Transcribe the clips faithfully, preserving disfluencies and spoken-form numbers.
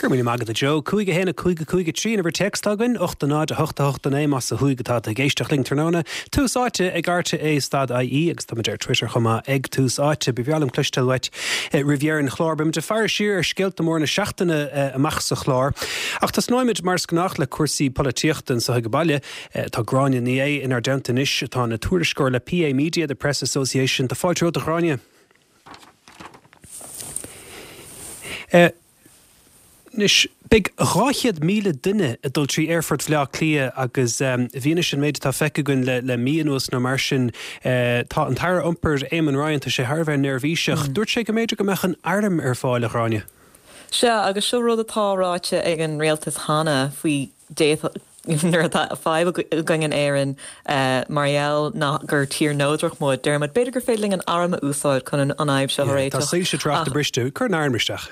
Gur mí agad a Joe, cúig a haon a cúig a cúig a trí an uimhir téacs againn, ocht a náid a hocht a hocht a naoi más ó thuaidh atá ag éisteacht linn tráthnóna. Tús Áite ag RTÉ stad IE agus tá ar Twitter chomh maith ag Tús Áite ba bhreá liom cloisteáil uait roimh dheireadh an chláir beimid ag faire siar ar scéalta móra na seachtaine amach sa chlár. Ach tosnóimid mar is gnách le cúrsaí polaitíochta anseo ag baile tá Gráinne Ní Aodha inár dteannta anois atá ina tuairisceoir le PA Media, the Press Association, Tá fáilte romhat a Ghráinne. Uh, Anois beidh dhá chéad míle duine ag dul trí Aerfort Bhaile Átha Cliath agus um, i bhfianaise an méid atá feicthe againn le, le mí anuas nó mar sin uh, tá an tAire Iompair Eamon Ryan tá sé thar a bheith neirbhíseach. Mm. Dúirt sé go mb'fhéidir go mbeadh an arm ar fáil a Ghráinne. Sea agus seo rud atá ráite ag an rialtas cheana faoi nuair atá fadhb againn in Éirinn uh, mar gheall ná gur tír neodrach muid deirimid b'fhéidir gur féidir linn an arm a úsáid chun an fhadhb seo a réiteach. Tá soilse tráchta briste cuir an arm isteach.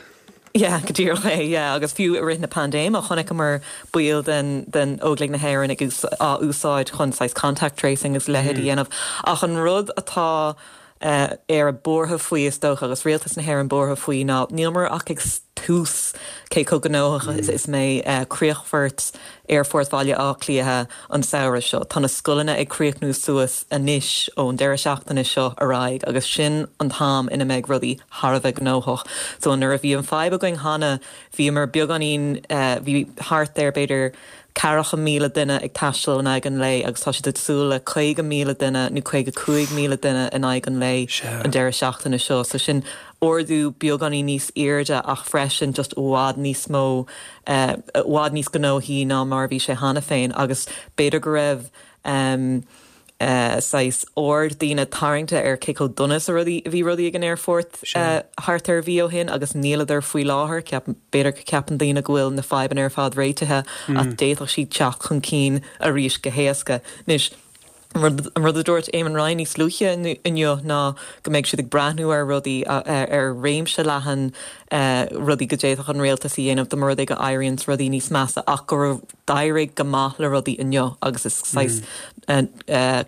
Yeah, go díreach é yeah, agus fiú i rith na paindéime chonaiceamar baill den den Óglaigh na hÉireann ag á úsáid chun saghas contact tracing is leithéid a mm. dhéanamh. Ach an rud atá uh, Éire buartha faoi is dócha agus rialtas na hÉireann buartha faoi ná nílmar ach ag tús cé chomh gnóthach is is mbeidh uh, críochfort Aerfort Bhaile Átha Cliath an samhradh seo. Tá na scoileanna ag críochnú suas anois ón deireadh seachtaine seo ar aghaidh agus sin an t-am ina mbeidh rudaí thar a bheith gnóthach. So nuair a bhí an fadhb againn cheana bhíomar beagáinín uh, bhí thart ar b'fhéidir ceathracha míle duine ag taisteal in aghaidh an lae agus tá siad ag súil le caoga míle duine nó caoga cúig míle duine in aghaidh an lae an deireadh seachtaine seo. So sin ardú beagáinín níos airde ach freisin just i bhfad níos mó uh, i bhfad níos gnóthaí ná mar bhí sé cheana féin agus b'fhéidir go raibh um, uh, saghas aird daoine tarraingthe ar cé chomh dona is a rudaí bhí rudaí ag an aerfort uh, thart ar mhí ó shin agus níleadar faoi láthair b'fhéidir go ceapann daoine go bhfuil na fadhbanna ar fad réitithe mm. ach d'fhéadfadh siad teacht chun cinn arís go héasca. Anois, An rud a dúirt Eamon Ryan níos luaithe inniu ná go mbeidh siad ag breathnú ar rudaí ar réimse leathan rudaí go d'fhéadfadh an rialtas a dhéanamh dá mba rud é go éiríonn rudaí níos measa ach gur d'éirigh go maith le rudaí inniu agus is saghas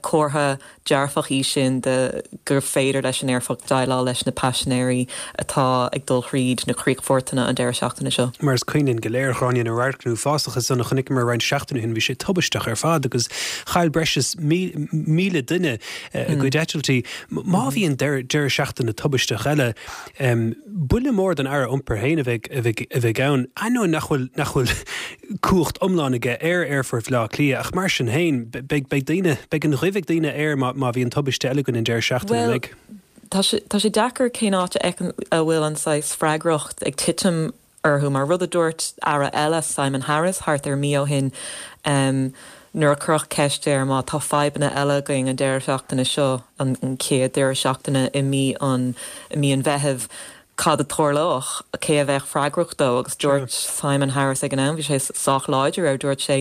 comhartha dearfach í sin de gur féidir leis an aerfort déileáil leis na paisinéirí atá ag dul thríd na críochfortanna an deireadh seachtaine seo. Mar is cuimhin linn go léir a Ghráinne na radharcanna uafásacha san a chonaiceamar roinnt seachtainí ó shin bhí sé tubaisteach ar fad agus chaill breis is míle duine a gcuid eitiltí. Má bhíonn deireadh seachtaine tubaisteach eile, buille mór don Aire Iompair féin a bheidh ann, ainneoin nach bhfuil nach bhfuil cumhacht iomlán aige ar Aerfort Bhaile Átha Cliath ach mar sin féin beidh beidh daoine beidh an ghoimh ag daoine air má má bhíonn tubaiste eile againn an deireadh seachtaine Well, tá sé tá sé deacair cén áit a a bhfuil an saghas freagracht ag titim orthu mar rud a dúirt Aire eile Simon Harris thart ar mí ó shin um, nuair a cuireadh ceist air má tá fadhbanna eile againn an deireadh seachtaine seo an, an chéad deireadh seachtaine i mí an i mí an Mheithimh cad a tharlódh cé a bheadh freagrach dó agus dúirt Simon Harris ag an am bhí sé sách láidir ar dúirt sé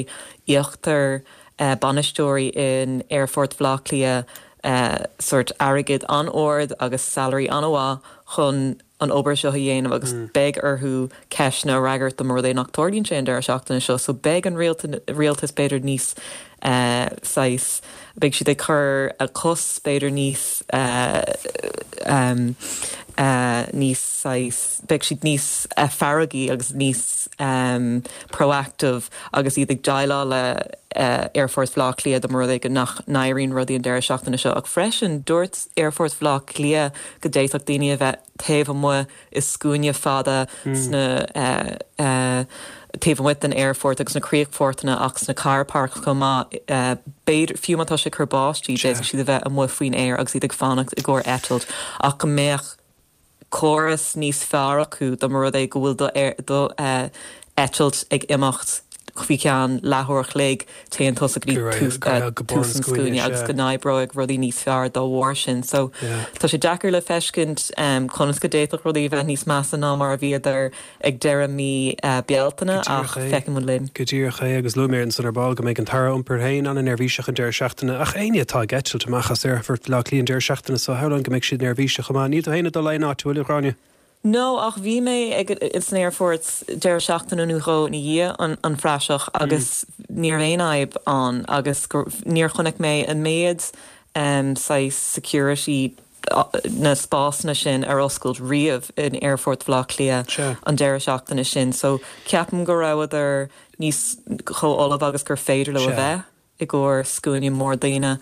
íoctar uh, bainisteoirí in Aerfort Bhaile Átha Cliath uh, sort airgead an-ard agus salary an-mhaith chun an obair seo a dhéanamh agus mm. beidh orthu ceisteanna a fhreagairt dá mba rud é nach dtarlaíonn sé an deireadh seachtaine seo, so beidh an rialtas b'fhéidir níos uh, saghas beidh siad ag cur a cos b'fhéidir níos uh, um, uh, níos saghas beidh siad níos uh, feargaí agus níos um, proactive agus iad ag déileáil le uh, Aerfort Bhaile Átha Cliath dá mba rud é go nach n-éiríonn rudaí an deireadh seachtaine seo ach freisin dúirt Aerfort Bhaile Átha Cliath go d'fhéadfadh daoine a bheith taobh amuigh i scuaine fada mm. sna uh, uh, taobh amuigh den aerfort agus na críochfortanna ach sna car park chomh maith uh, b'fhéidir fiú má tá sé cur báistí d'fhéadfadh siad a bheith amuigh faoin aer agus iad ag fanacht i gcomhair eitilt ach go mbeadh córas níos fearr acu dá mba rud é go bhfuil do, do uh, eitilt ag imeacht faoi cheann leathuair a chloig téann tusa go dtí tús an scuaine agus go n-oibreoidh rudaí níos fearr dá bharr sin. So tá sé deacair le feiscint um, conas go d'fhéadfadh rudaí bheith níos measa ná mar a bhíodar ag deireadh mí uh, Bealtaine ach feicfimid linn. Go díreach é agus luaigh mé ansan ar ball go mbeidh an tAire Iompair féin an-neirbhíseach an deireadh seachtaine ach éinne atá ag eitilt amach as Aerfort Bhaile Átha Cliath an deireadh seachtaine seo shamhlóinn go mbeidh siad neirbhíseach chomh maith. Níl tú féin ag dul aon áit bhfuil a Ghráinne? No ach bhí mé ag san aerfort deireadh seachtaine nó dhó ina dhiaidh an, an phraiseach agus mm. ní raibh aon fhadhb ann agus níor chonaic mé an méid um, saghas security na spásanna sin ar oscailt riamh in Aerfort Bhaile Átha Cliath an deireadh seachtaine sin. So ceapaim go rabhadar níos chomh ullamh agus gur féidir leo a bheith i gcomhair scuaine mór daoine.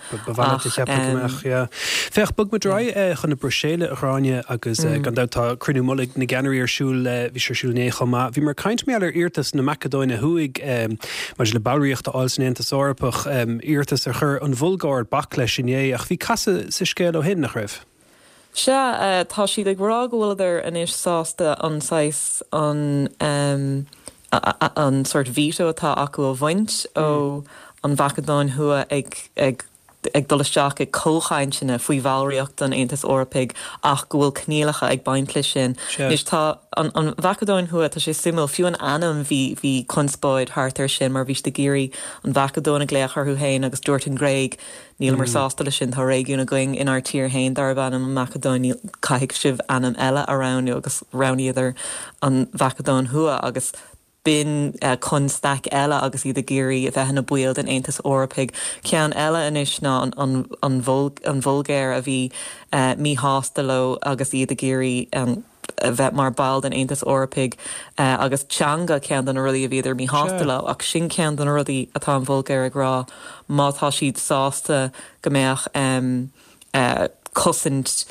Féach bog muid ar aghaidh chun na Bruiséile a Ghráinne agus gan dabht tá cruinniú mullaigh na gceannairí ar siúl bhí sé ar siúl inné chomh maith. Bhíomar ag caint mar gheall ar iarratas na Macadóine Thuaidh maidir le ballraíocht a fháil san Aontas Eorpach, iarratas ar chuir an Bhulgáir bac leis inné ach bhí casadh sa scéal ó shin nach raibh. Sea, tá siad ag rá go bhfuileadar anois sásta an saghas an an sort veto atá acu a bhaint ó an Mhacadóin Thuaidh ag ag ag dul isteach ag comhchainteanna faoi bhallraíocht an Aontais Eorpaigh ach go bhfuil coinníollacha ag baint leis sin. Anois tá an an Mhacadóin Thuaidh tá sé suimiúil fiú an ainm bhí bhí conspóid thart air sin mar bhí siad ag iarraidh an Mhacadóin a ghlaoch orthu féin agus dúirt an Ghréig níleamar sásta leis sin tá réigiún againn inár tír féin darb ainm an Macadóin caithfidh sibh ainm eile a roghnú agus roghnaíodar an Mhacadóin Thuaidh agus b'in constaic eile agus iad ag iarraidh a bheith ina baill den Aontas Eorpaigh. Ceann eile anois ná an an an an Bhulgáir a bhí míshásta leo agus iad ag iarraidh a bheith mar ball den Aontas Eorpaigh agus teanga ceann de na rudaí a bhíodar míshásta leo ach sin ceann de na rudaí atá an Bhulgáir ag rá má tá siad sásta go mbeadh cosaint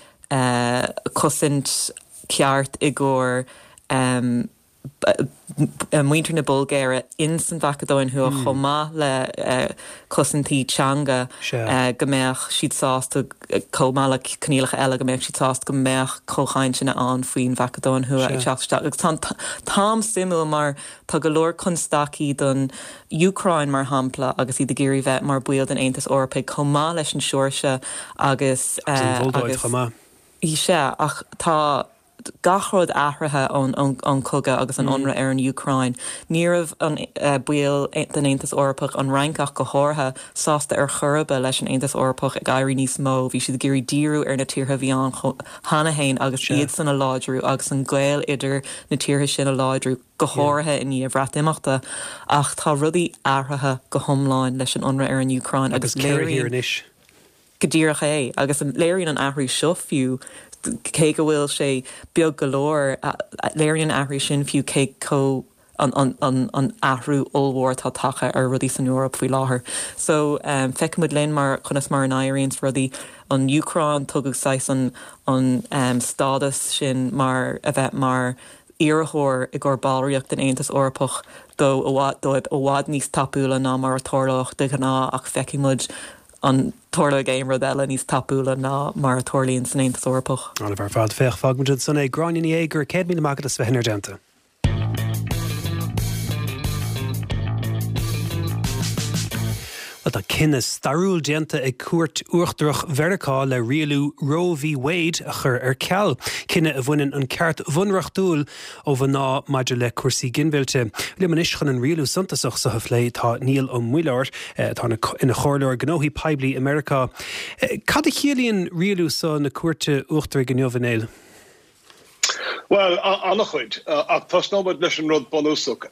cosaint ceart i gcomhair muintir na Bulgáire in san Mhacadóin Thuaidh chomh maith le cosaintí teanga go mbeadh siad sásta chomh maith le coinníollacha eile go mbeadh siad sásta go mbeadh comhchainteanna ann faoin Mhacadóin Thuaidh ag teacht isteach. Agus tá an t-am suimiúil mar tá go leor constaicí don Úcráin mar shampla agus iad ag iarraidh bheith mar baill den Aontas Eorpaigh chomh maith leis an Seoirsia agus agus chomh maith. Sea, ach tá gach rud athraithe ón ón cogadh agus an ionradh ar an Úcráin. Ní raibh an baill den Aontas Eorpach an Fhrainc ach go háirithe sásta ar chor ar bith leis an Aontas Eorpach ag éirí níos mó. Bhí siad ag iarraidh díriú ar na tíortha a bhí ann cheana féin agus iad san a láidriú agus an gaol idir na tíortha sin a láidriú go háirithe i ndiaidh Bhreatimeachta. Ach tá rudaí athraithe go hiomlán leis an ionradh ar an Úcráin agus léiríonn anois. Go díreach é, agus léiríonn an athrú seo fiú, cé go bhfuil sé beag go leor, léiríonn an athrú sin fiú cé chomh an an an athrú ollmhór atá tagtha ar rudaí san Eoraip faoi láthair. So feicfidh muid linn mar conas mar a n-éiríonns rudaí. An Úcráin, tugadh saghas an an stádas sin mar a bheith mar iarrthóir i gcomhair ballraíocht den Aontas Eorpach dó i bhfad dóibh i bhfad níos tapúla ná mar a tharlódh de ghnáth ach feicfidh muid an dtarlóidh aon rud eile níos tapúla ná mar a tharlaíonn san Aontas Eorpach. An-mhaith ar fad. Féach, fágfaidh muid ansan é. Gráinne Ní Aodha, go raibh céad míle maith agat as bheith inár dteannta. Bhuel, tá cinneadh stairiúil déanta ag Cúirt Uachtarach Mheiriceá le rialú Roe v. Wade a chur ar ceal, cinneadh a bhaineann an ceart bhunreachtúil ó mhná maidir le cúrsaí ginmhillte. Liom anois chun an rialú suntasach seo a phlé tá Niall Ó Muilleoir, atá ina chomhairleoir gnóthaí poiblí i Meiriceá. Cad a chiallaíonn rialú seo na Cúirte Uachtaraigh inniu, a Néill? Bhuel, an-chuid, ach tosnóidh muid leis an rud bunúsach.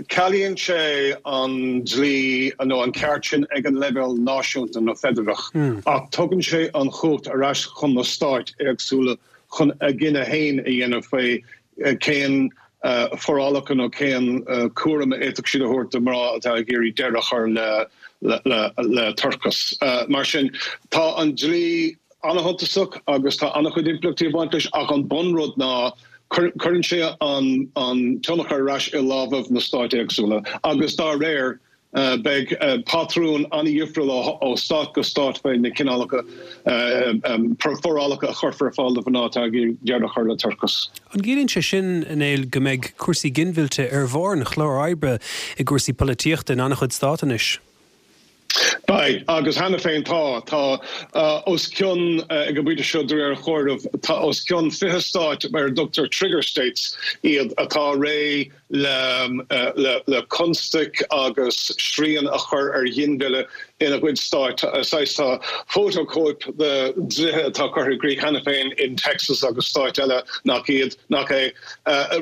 Cealaíonn sé an dlí nó an ceart sin ag an leibhéal náisiúnta nó feidearach, ach tugann sé an chumhacht ar ais chun na stáit éagsúla chun a gcinneadh féin a dhéanamh faoi cén forálacha nó cén cúram a fhéadfadh siad a thabhairt do mhná atá ag iarraidh deireadh a chur le toircheas. Mar sin, tá an dlí an-shuntasach agus tá an-chuid impleachtaí ag baint leis ach an bunrud ná cuireann sé an tionchar ar ais i lámhaibh na stáit éagsúla agus dá réir beidh patrún an-dhifriúil ó stát go stát faoi na cineálacha forálacha a chuirfear ar fáil do mhná atá ag iarraidh deireadh a chur le toircheas. An gciallaíonn sé sin, a Néill, go mbeidh cúrsaí ginmhillte ar bharr an chláir oibre i gcúrsaí polaitíochta in an-chuid stát anois? Beidh, agus cheana féin tá. Tá os cionn, ag an bpointe seo de réir an chomhairimh, tá os cionn fiche stát ar a dtugtar trigger states iad atá réidh le le constaic agus srian a chur ar ghinmhilleadh ina gcuid stáit. Saghas tá fótachóip de dlíthe atá curtha i gcrích cheana féin in Texas agus stáit eile nach iad nach é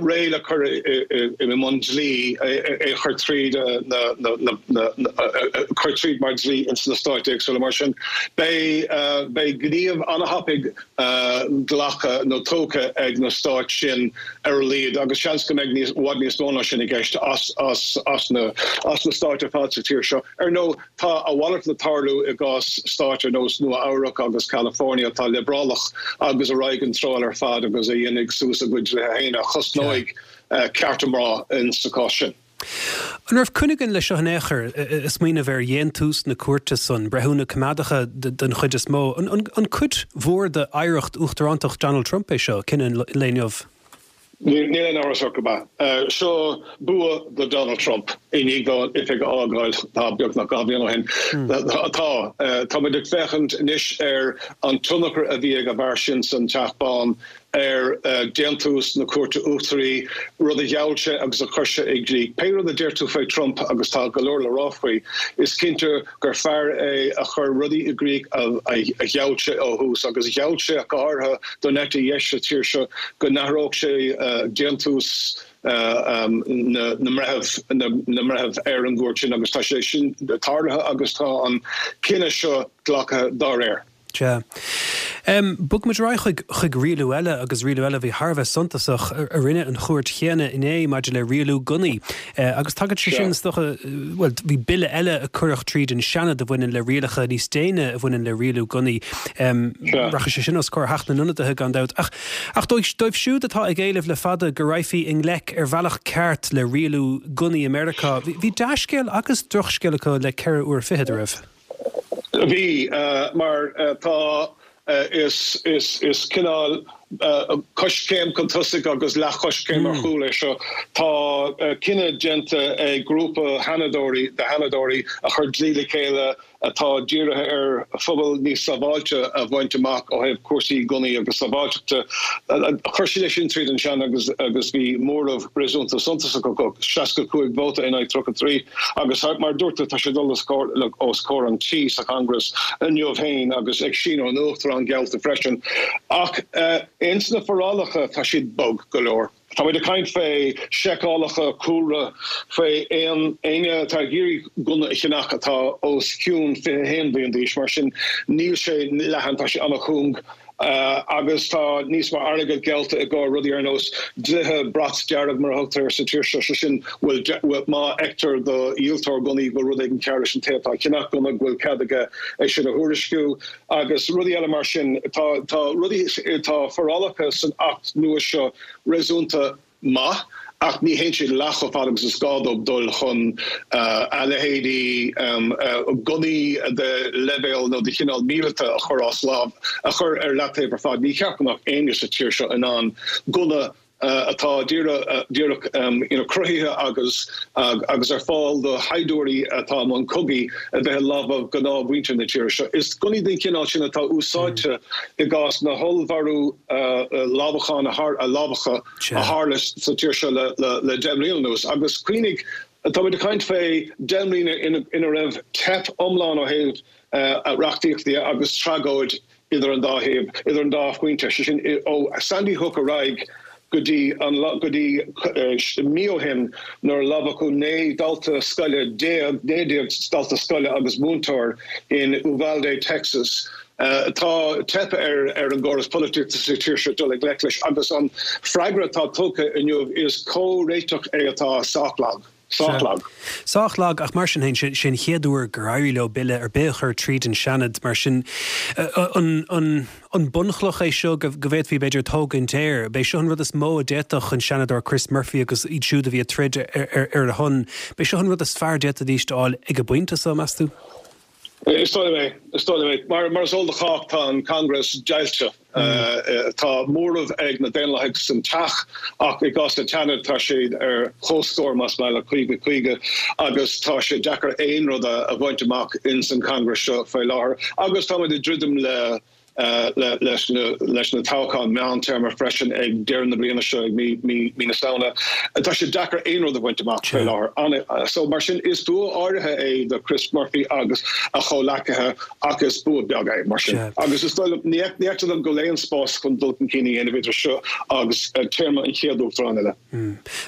réidh le cur i mbun dlí é a chur tríd na cur tríd mar dlí ins na stáit éagsúla mar sin. Beidh beidh gníomh an-thapaidh glactha nó tógtha ag na stáit sin ar a laghad agus seans go mbeidh níos bhfad níos mó ná sin i gceist as as as na as na stáit ar fad sa tír seo. Ar ndóigh tá a mhalairt le tarlú i gcás stáit ar nós Nua-Eabhrac agus California atá liobrálach agus a raghaidh an treo eile ar fad agus a dhéanfaidh suas a gcuid dlíthe féin a chosnóidh cearta mná in sa chás sin. An raibh coinne againn leis seo in aon chor, ag smaoineamh ar dhéantús na cúirte san, breithiúna coimeádacha den chuid is mó, an cuid mhór d'oidhreacht uachtarántacht Donald Trump é seo, cinneadh an lae inniu? Níl aon amhras ort gurb ea. Seo bua do Donald Trump i ndiaidh dó an oifig a fhágáil tá beagnach dhá bhliain ó shin. Tá. Tá muid ag féachaint anois ar an tionchar a bhí ag an bhfear sin san Teach Bán ar déantús na Cúirte Uachtaraí, rud a gheall sé agus a chuir sé i gcrích. Pé rud a deir tú faoi Trump, agus tá go leor le rá faoi, is cinnte gur fear é a chuir rudaí i gcrích a gheall sé ó thús, agus gheall sé go háirithe don eite dheis sa tír seo go n-athródh sé déantús na mbreitheamh na mbreitheamh ar an gcúirt sin agus tá sé sin tarlaithe agus tá an cinneadh seo glactha dá réir. Sea. Bogfaimid ar aghaidh chuig chuig rialú eile agus rialú eile a bhí thar a bheith suntasach a rinne an chúirt chéanna inné maidir le rialú gunnaí. Agus tagann sé sin, is dócha, bhuel, bhí bille eile a cuireadh tríd an Seanad a bhaineann le rialacha níos déine a bhaineann le rialú gunnaí. Rachaidh sé sin os comhair Theach na nIonadaithe gan dabht. Ach ach dóibh dóibh siúd atá ag éileamh le fada go raghfaí i ngleic ar bhealach ceart le rialú gunnaí i Meiriceá, bhí dea-scéal agus drochscéal acu le ceithre uair fichead, a raibh? Bhí, mar tá, is is cineál coiscéim chun tosaigh agus leathchoiscéim ar chúl é seo. Tá cinneadh déanta ag grúpa sheanadóirí, de sheanadóirí a chuir dlí le chéile atá dírithe ar phobal níos sábháilte a bhaint amach ó thaobh cúrsaí gunnaí agus sábháilteachta. Chuir siad é sin tríd an Seanad agus agus bhí móramh réasúnta suntasach acu, seasca cúig vóta in aghaidh tríocha trí, agus mar a dúirt tú tá sé ag dul os comhair an tí sa Chongress inniu féin agus ag síniú an Uachtaráin geallta freisin. Ach ins na forálacha tá siad bog go leor. Tá muid ag caint fé seiceálacha cúlra faoi aon éinne atá ag iarraidh gunna a cheannach atá os cionn fiche a haon bliain d'aois, mar sin níl sé leathan, tá sé an-chúng agus tá níos mó airgead geallta i gcomhair rudaí ar nós dlíthe brat dearg mar a thugtar air sa tír seo, sé sin bhfuil má fheictear do dhíoltóir gunnaí go bhfuil rud éigin cearr leis an té atá ag ceannach gunna go bhfuil cead aige é sin a thuairisciú agus rudaí eile mar sin. Tá tá rudaí tá forálacha san Acht nua seo réasúnta maith ach ní théann siad leath chomh fada agus is gá dóibh dul chun a leithéidí gunnaí de leibhéal nó de chineál míleata a chur as lámh, a chur ar leataobh ar fad. Ní cheart go mbeadh éinne sa tír seo in ann gunna atá díreach cruthaithe agus agus ar fáil do shaighdiúirí atá i mbun cogaidh a bheith i lámha gnáthmhuintir na tíre seo. Is gunnaí den chineál sin atá úsáidte i gcás na hollmharú lámhachán a lámhacha a tharla sa tír seo le deich mbliana anuas. Agus cuimhnigh, tá muid ag caint fé deich mbliana ina raibh teip iomlán ó thaobh reachtaíochta de agus tragóid idir an dá thaobh, idir an dá phointe, sé sin ó Sandy Hook ar aghaidh go dtí an go dtí mí ó shin nuair a lámhachadh naoi dalta scoile déag, naoi déag dalta scoile agus múinteoir in Uvalde, Texas. Tá teipthe ar ar an gcóras polaitíochta sa tír seo dul i ngleic leis agus an freagra atá tugtha inniu is comhréiteach é atá sách lag. Sách lag. Sách lag, ach mar sin féin, sé an chéad uair gur éirigh leo bille ar bith a chur tríd an Seanad, mar sin an an an bunchloch é seo go bhféadfaí b'fhéidir tógaint air? B'é seo an rud is mó a d'fhéadfadh an Seanadóir Chris Murphy agus iad siúd a bhí ag troid ar ar a shon, b'é seo an rud is fearr a d'fhéadfaidís a fháil ag an bpointe seo, meas tú? Is dóigh liom é. Is dóigh liom é. Mar mar is eol do chách, tá an Congress deighilte. Tá móramh ag na Daonlathaigh san Teach ach i gcás an tSeanaid tá siad ar comhscór, más maith leat, caoga caoga, agus tá sé deacair aon rud a bhaint amach ins an Congress seo faoi láthair. Agus táimid ag druidim le leis na toghcháin meántéarma freisin ag deireadh na bliana seo, ag mí na Samhna. Tá sé deacair aon rud a bhaint amach faoi láthair. So mar sin is bua áirithe é do Chris Murphy agus a chomhleacaithe ach is bua beag é mar sin. Agus is dóigh liom, ní fheictear dom go bhfuil aon spás chun dul chun cinn a dhéanamh idir seo agus téarma an chéad uachtaráin eile.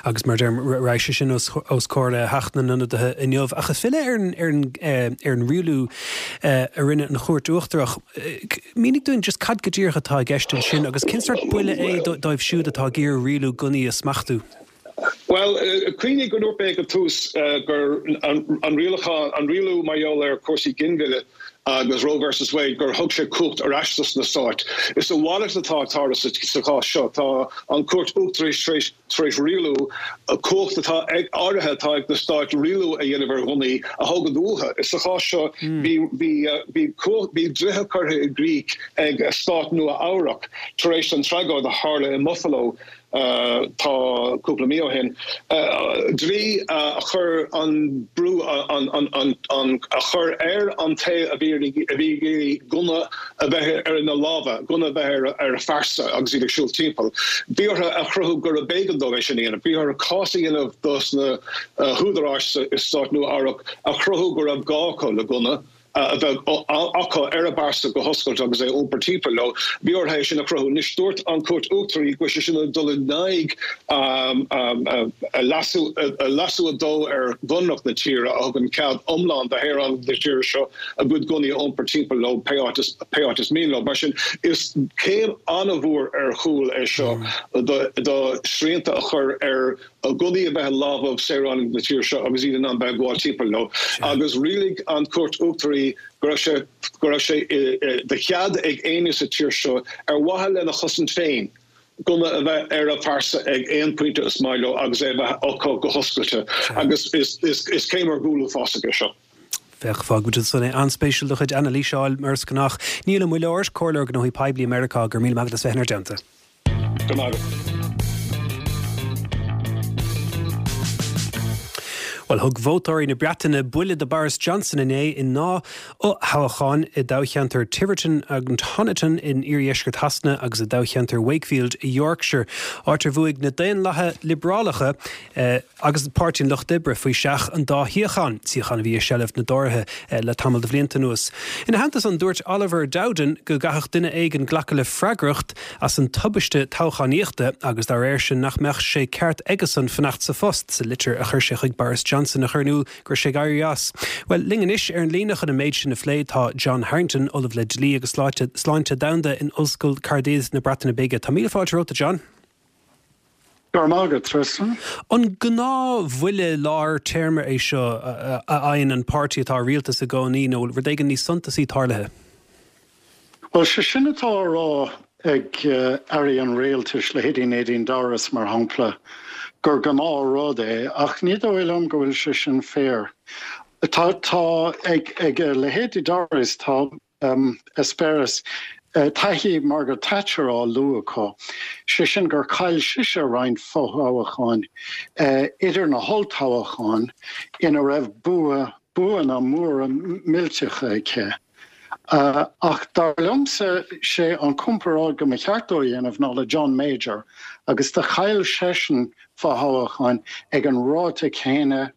Agus mar deirim, raghaidh sé sin os comhair Theach na nIonadaithe inniu. Ach ag filleadh ar an rialú a rinne an Chúirt Uachtarach, mínigh dúinn just cad go díreach atá i gceist ansin agus cén sórt buille é dóibh siúd atá ag iarraidh rialú gunnaí a smachtú? Bhuel, cuimhnigh go ndúirt mé ag an tús gur an rialachán, an rialú mar gheall ar chúrsaí ginmhilleadh agus Roe versus Wade, gur thug sé cumhacht ar ais dos na stáit. Is a mhalairt atá ag tarlú sa chás seo. Tá an Chúirt Uachtarach tar éis tar éis rialú, cumhacht atá ag áirithe atá ag na stáit rialú a dhéanamh ar ghunnaí a thógaint uathu. Sa chás seo bhí bhí bhí cumhacht bhí dlíthe curtha i gcrích ag stát Nua Eabhrac tar éis an tragóid a tharla i mBuffalo tá cúpla mí ó shin, dlí a chuir an brú a chur ar an té a bhí a bhí ag iarraidh gunna a bheith ar ina lámha, gunna a bheith ar a phearsa agus iad ag siúl timpeall. Bhí orthu a chruthú gurb éigean dóibh é sin a dhéanamh. Bhí orthu cás a dhéanamh dos na húdaráis i stát Nua-Eabhrac a chruthú go raibh gá acu le gunna. a bheith acu ar a bpearsa go hoscailte agus é a iompar timpeall leo. Bhí orthu é sin a chruthú. Anois dúirt an Chúirt Uachtaraí go bhfuil sé sin ag dul in aghaidh leasú leasú a dó ar Bhunreacht na tíre a thugann cead iomlán do shaoránaigh na tíre seo a gcuid gunnaí a iompar timpeall leo pé áit is pé áit is mian leo. Mar sin is céim an-mhór ar chúl é seo do do shrianta a chur ar ghunnaí a bheith i lámha saoránaigh na tíre seo agus iad in ann bheith ag gabháil timpeall leo. Agus rialaigh an Chúirt Uachtaraí go raibh sé go raibh sé de chead ag éinne sa tír seo ar mhaithe lena chosaint féin gunna a bheith ar a phearsa ag aon pointe is maith leo agus é a bheith acu go hoscailte. Agus is is is céim ar gcúl uafásach é seo. Féach, fágfaimid ansan é. An-spéisiúil do chuid anailíse a fháil mar is gnách. Niall Ó Muilleoir, Comhairleoir Gnóthaí Poiblí i Meiriceá, go raibh míle maith agat as bheith inár dteannta. Go raibh maith agat. Bhuel, thug vótóirí na Breataine buille do Boris Johnson inné i ndá fhothoghchán i dtoghcheantar Tiverton and Honiton in iardheisceart Shasana agus i dtoghcheantar Wakefield i Yorkshire, áit ar bhuaigh na Daonlathaithe Liobrálacha agus Páirtí an Lucht Oibre faoi seach an dá shuíochán, suíochán a bhí i seilbh na dTóraithe le tamall de bhlianta anuas. Ina theannta san, dúirt Oliver Dowden go gcaithfeadh duine éigin glacadh le freagracht as an tubaiste toghchánaíochta agus dá réir sin nach mbeadh sé ceart aigesan fanacht sa phost, sa litir a chuir sé chuig Boris Johnson a chur in iúl go raibh sé ag éirí as. Bhuel, linn anois ar an líne chun an méid sin a phlé tá John Harrington, Ollamh le Dlí agus Sláinte Domhanda in Ollscoil Caerdydd na Breataine Bige. Tá míle fáilte romhat, a John. Go raibh maith agat, Tristan. An gnáthbhuille lár téarma é seo a fhaigheann an páirtí atá i rialtas i gcónaí nó rud éigin níos suntasaí tarlaithe? Bhuel, sé sin atá á rá ag airí an rialtais, leithéidí Nadine Dorries mar shampla, gur gnáthrud é, ach ní dóigh liom go bhfuil sé sin fíor. Tá, tá, ag, ag leithéidí Dorries, tá eispéireas, taithí Margaret Thatcher á lua acu, sé sin gur chaill sise roinnt fothoghcháin idir na holltoghcháin ina raibh bua, buanna móra millteacha aici. Ach dar liomsa, sé an comparáid go mba cheart dó a dhéanamh ná le John Major agus do chaill seisean fothoghcháin ag an ráta céanna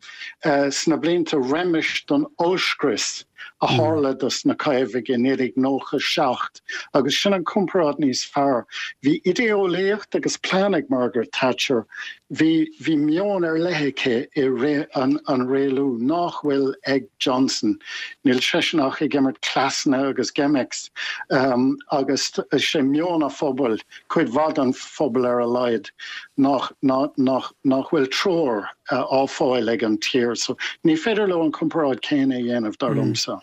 sna blianta roimis don ollscrios a tharla dos na Caomhaigh i naoi déag nócha a seacht agus sin an comparáid níos fearr. Bhí idéeolaíocht agus plean ag Margaret Thatcher. Bhí bhí meon ar leith aici i rith an an rialú nach bhfuil ag Johnson. Níl seisean ach ag imirt cleasanna agus gimmicks agus sé meon an phobail, cuid mhaith den phobal ar a laghad, nach nach nach bhfuil treoir á fáil ag an tír. So ní féidir leo an comparáid céanna a dhéanamh, dar liomsa.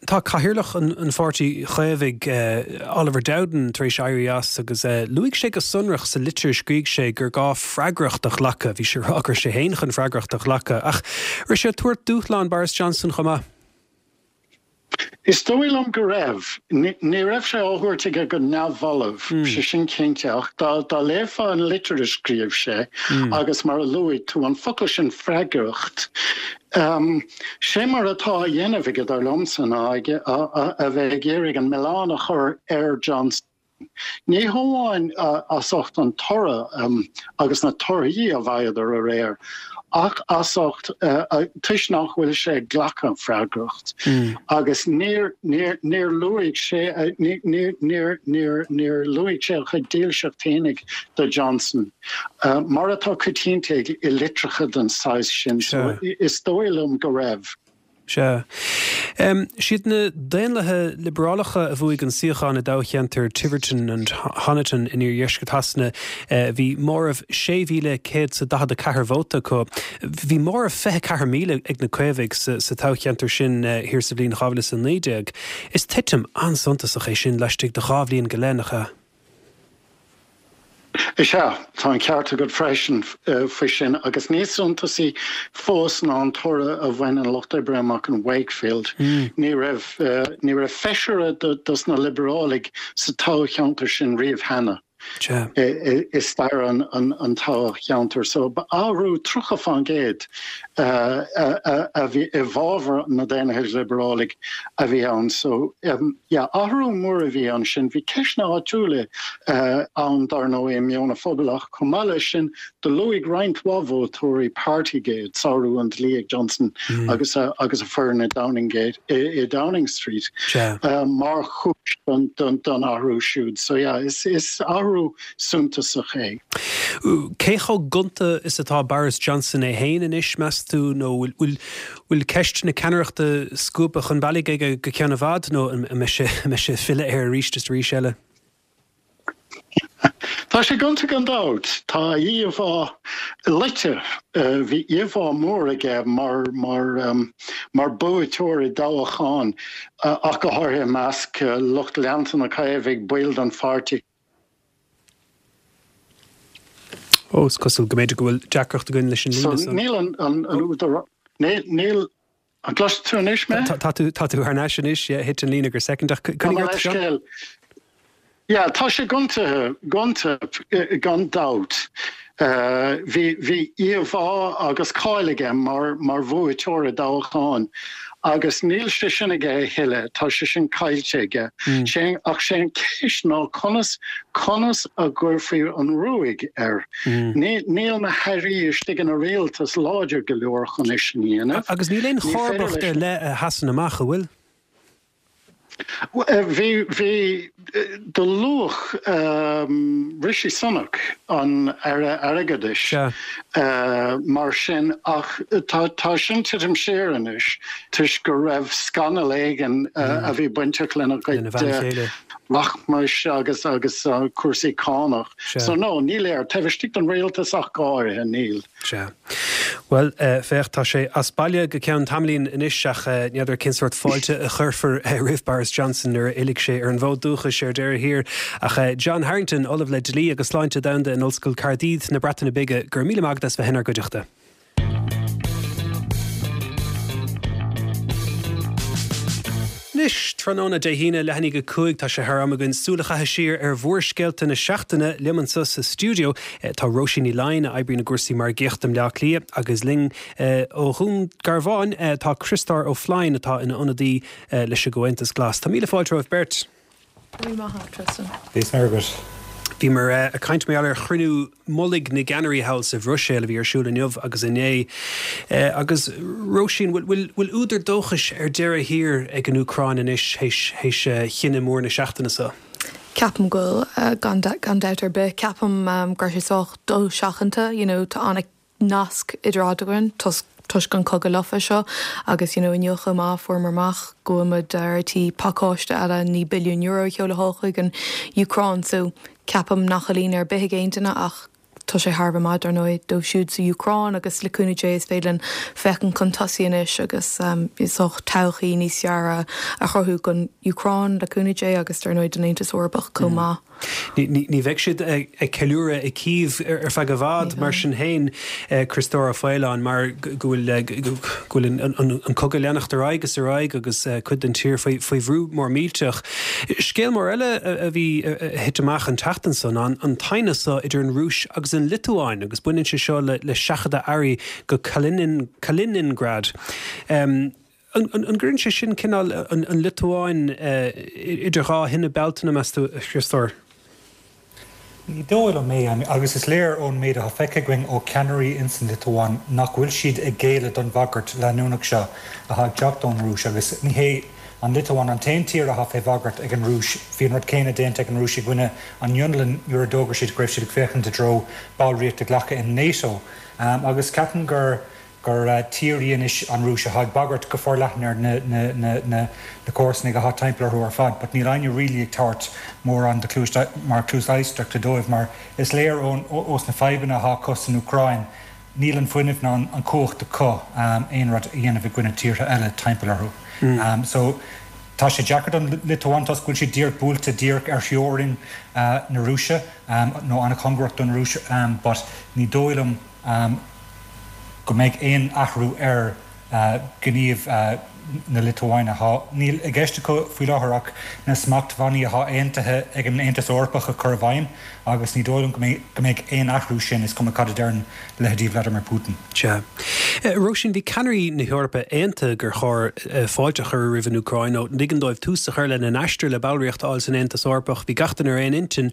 Tá cathaoirleach an Pháirtí Chaomhaigh, Oliver Dowden, tar éis éirí as agus luaigh sé go sonrach sa litir a scrígh sé gur gá freagracht a ghlacadh. Bhí sé ag rá go raibh sé féin chun freagracht a ghlacadh. Ach raibh sé ag tabhairt dúshlán Boris Johnson chomh maith? Is dóigh liom go raibh. Ní raibh sé á thabhairt aige go neamhbhalbh, sé sin cinnte, ach dá léifeá an litir a scríobh sé agus mar a luaigh tú, an focal sin freagracht, Sé mar atá á dhéanamh aige dar liomsa ná a bheith ag iarraidh an milleán a chur ar Johnson. Ní hamháin as ucht an toradh agus na torthaí a bhfaigheadar aréir, ach as ucht toisc nach bhfuil sé ag glacadh freagracht. Agus níor níor níor luaigh sé níor níor níor níor luaigh sé a chuid dílseacht fhéinig do Johnson. Mar atá coitianta i litreacha den saghas sin, so is dóigh liom go raibh. Sea. Siad na Daonlathaithe Liobrálacha a bhuaigh an suíochán i dtoghcheantar Tiverton and Honiton in iardheisceart Shasana. Bhí móramh sé mhíle céad is a daichead a ceathair vóta acu. Bhí móramh fiche ceathair míle ag na Caomhaigh sa toghcheantar sin thiar sa bhliain dhá mhíle is a naoi déag. Is titim an-suntasach é sin laistigh de dhá bhliain go leith, nach ea? Is ea, tá an ceart agat freisin faoi sin, agus níos suntasaí fós ná an toradh a bhain an Lucht Oibre amach in Wakefield. Ní raibh ní raibh feisire dos na Liobrálaigh sa toghcheantar sin riamh cheana i stair an toghcheantair. So ba athrú tríocha fán gcéad a bhí i bhfabhar na Daonlathaigh Liobrálaigh a bhí ann. So yeah, athrú mór a bhí ansin. Bhí ceisteanna áitiúla ann dar ndóigh i meon an phobail ach chomh maith leis sin do luaigh roinnt mhaith vótóirí Partygate, sárú an dlí ag Johnson agus a agus a foireann i Downing Gate i Downing Street mar chúis don don athrú siúd. So yeah, is is athrú suntasach é. Cé chomh gonta is atá Boris Johnson é féin anois, meas tú, nó bhfuil bhfuil ceist na ceannaireachta scuabtha chun bealaigh aige go ceann i bhfad nó an mbeidh sé an mbeidh sé ag filleadh air arís is arís eile? Tá sé gonta gan dabht. Tá a íomhá loite. Bhí íomhá mór aige mar mar mar buaiteoir i dtoghchán, ach go háirithe i measc lucht leanta na Caomhaigh, baill den pháirtí. Ó, is cosúil go mb'fhéidir go bhfuil deacracht againn leis an líne So níl an an an údar níl An gcloiseann tú anois mé? Tá tú tá tú thar n-ais anois, yeah, thit an líne go soicind ach coinnigh ort Seán. Yeah, tá sé gonta gonta gan dabht. Bhí bhí íomhá agus cáil aige mar mar bhuaiteoir i dtoghchán agus níl sé sin aige a thuilleadh, tá sé sin caillte aige. Sé ach sé an ceist ná conas conas a gcuirfí an ruaig air. Ní níl na hairí istigh ina rialtas láidir go leor chun é sin a dhéanamh. Agus níl aon chomharbacht ar leith a sheasann amach, an bhfuil? Bhí, bhí, do luadh Rishi Sunak, an Aire Airgeadais, mar sin ach tá, tá sin titim siar anois toisc go raibh scannal éigin a bhí bainteach lena chuid rachmais agus, agus cúrsaí cánach. So no, ní léir, taobh istigh den rialtas ach go háirithe, níl. Sea. Bhuel, féach, tá sé as baile go ceann tamaillín anois ach n'fheadar cén sórt fáilte a chuirfear roimh Boris Johnson nuair a fhillfidh sé ar an bhfód dúchais ar deireadh thiar. Ach John Harrington, Ollamh le Dlí agus Sláinte Domhanda in Ollscoil Caerdydd na Breataine Bige, go raibh míle maith agat as bheith inár gcuideachta. Anois, tráthnóna Dé hAoine, leath i ndiaidh a cúig, tá sé thar am againn súil a chaitheamh siar ar mhórscéalta na seachtaine. Liom anseo sa stiúideo tá Róisín Ní Laighin, a oibríonn i gcúrsaí margaíochta i mBleá Cliath, agus linn ó Dhún Garbhán tá Criostóir Ó Floinn, atá ina ionadaí leis an gComhaontas Glas. Tá míle fáilte romhaibh beirt. Go raibh maith agat, Tristan. Bhí maith agat. Bhíomar ag caint mar gheall ar chruinniú mullaigh na gceannairí thall sa Bhruiséil a bhí ar siúl inniu agus inné. Agus Róisín, bhfuil bhfuil údar dóchais ar deireadh thiar ag an Úcráin anois théis théis chinneadh mór na seachtaine seo? Ceapaim go bhfuil, gan gan dabht ar bith. Ceapaim go raibh sé sách dosheachanta, you know, tá an nasc idir eadrainn toisc an cogadh lofa seo agus you know inniu chomh maith fuaireamar amach go bhfuil muid ar tí pacáiste eile naoi billiún euro a sheoladh thall chuig an Úcráin so ceapaim nach bhfuil ionadh ar bith ag aon duine ach tá sé thar a bheith maith dar ndóigh dóibh siúd sa Úcráin agus le cúnamh Dé is féidir linn féachaint chun tosaigh anois agus is dócha todhchaí níos fearr a chruthú don Úcráin le cúnamh Dé agus dar ndóigh don Aontas Eorpach chomh maith. Ní bheidh siad ag ceiliúradh i Kyiv ar feadh i bhfad mar sin féin, Criostóir Ó Faoláin, mar go bhfuil an cogadh ag leanacht ar aghaidh is ar aghaidh agus cuid den tír faoi bhrú mór millteach. Scéal mór eile a bhí a thit amach an tseachtain seo ná an t-aighneas seo idir an Rúis agus an Liotuáin agus baineann sé seo le, le seachadadh earraí go Kalinin, Kaliningrad. Um, an, an, an gcuireann sé sin cineál an, an Liotuáin uh, idir dhá thine Bealtaine meas tú a Chriostóir? Ní dóigh liom é agus is léir ón méid atá feicthe againn ó cheannairí ins an Liotuáin nach bhfuil siad ag géilleadh don bhagairt leanúnach seo atá ag teacht ón Rúis agus ní hé an Liotuáin an t-aon tír atá fé bhagairt ag an Rúis. Bhí an rud céanna déanta ag an Rúis i gcoinne an Fhionlainn nuair a d'fhógair siad go raibh siad ag féachaint i dtreo ballraíocht a ghlacadh in NATO. Um, agus ceapaim gur gur uh, tír í anois an Rúis atá ag bagairt go forleathan ar na, na, na, na, na comharsana atá timpeall orthu ar fad, but níl éinne really ag tabhairt mórán de cluas mar cluas éisteachta dóibh mar is léir ón ós na fadhbanna atá acu san Úcráin níl an fuinneamh ná an cumhacht acu um, aon rud a dhéanamh i gcoinne tíortha eile timpeall orthu. Mm. Um, so tá sé deacair don Liotuáin toisc go bhfuil sé díreach buailte díreach ar theorainn uh, na Rúise um, nó an-chóngarach don Rúis um, but ní dóigh liom um, go mbeidh aon athrú ar uh, gníomh uh, na Liotuáine thá. Níl i gceist acu faoi láthair ach na smachtbhannaí atá aontaithe ag an Aontas Eorpach a chur i bhfeidhm agus ní dóigh liom go mbeidh aon athrú sin is cuma cad a deireann leithéidí Vladimir Putin. Sea. Róisín bhí ceannairí na hEorpa aontaithe gur chóir fáilte a chur roimh an Úcráin nó ligean dóibh tús a chur lena n-aistear le ballraíocht a fháil san Aontas Eorpach, bhí gach duine ar aon intinn.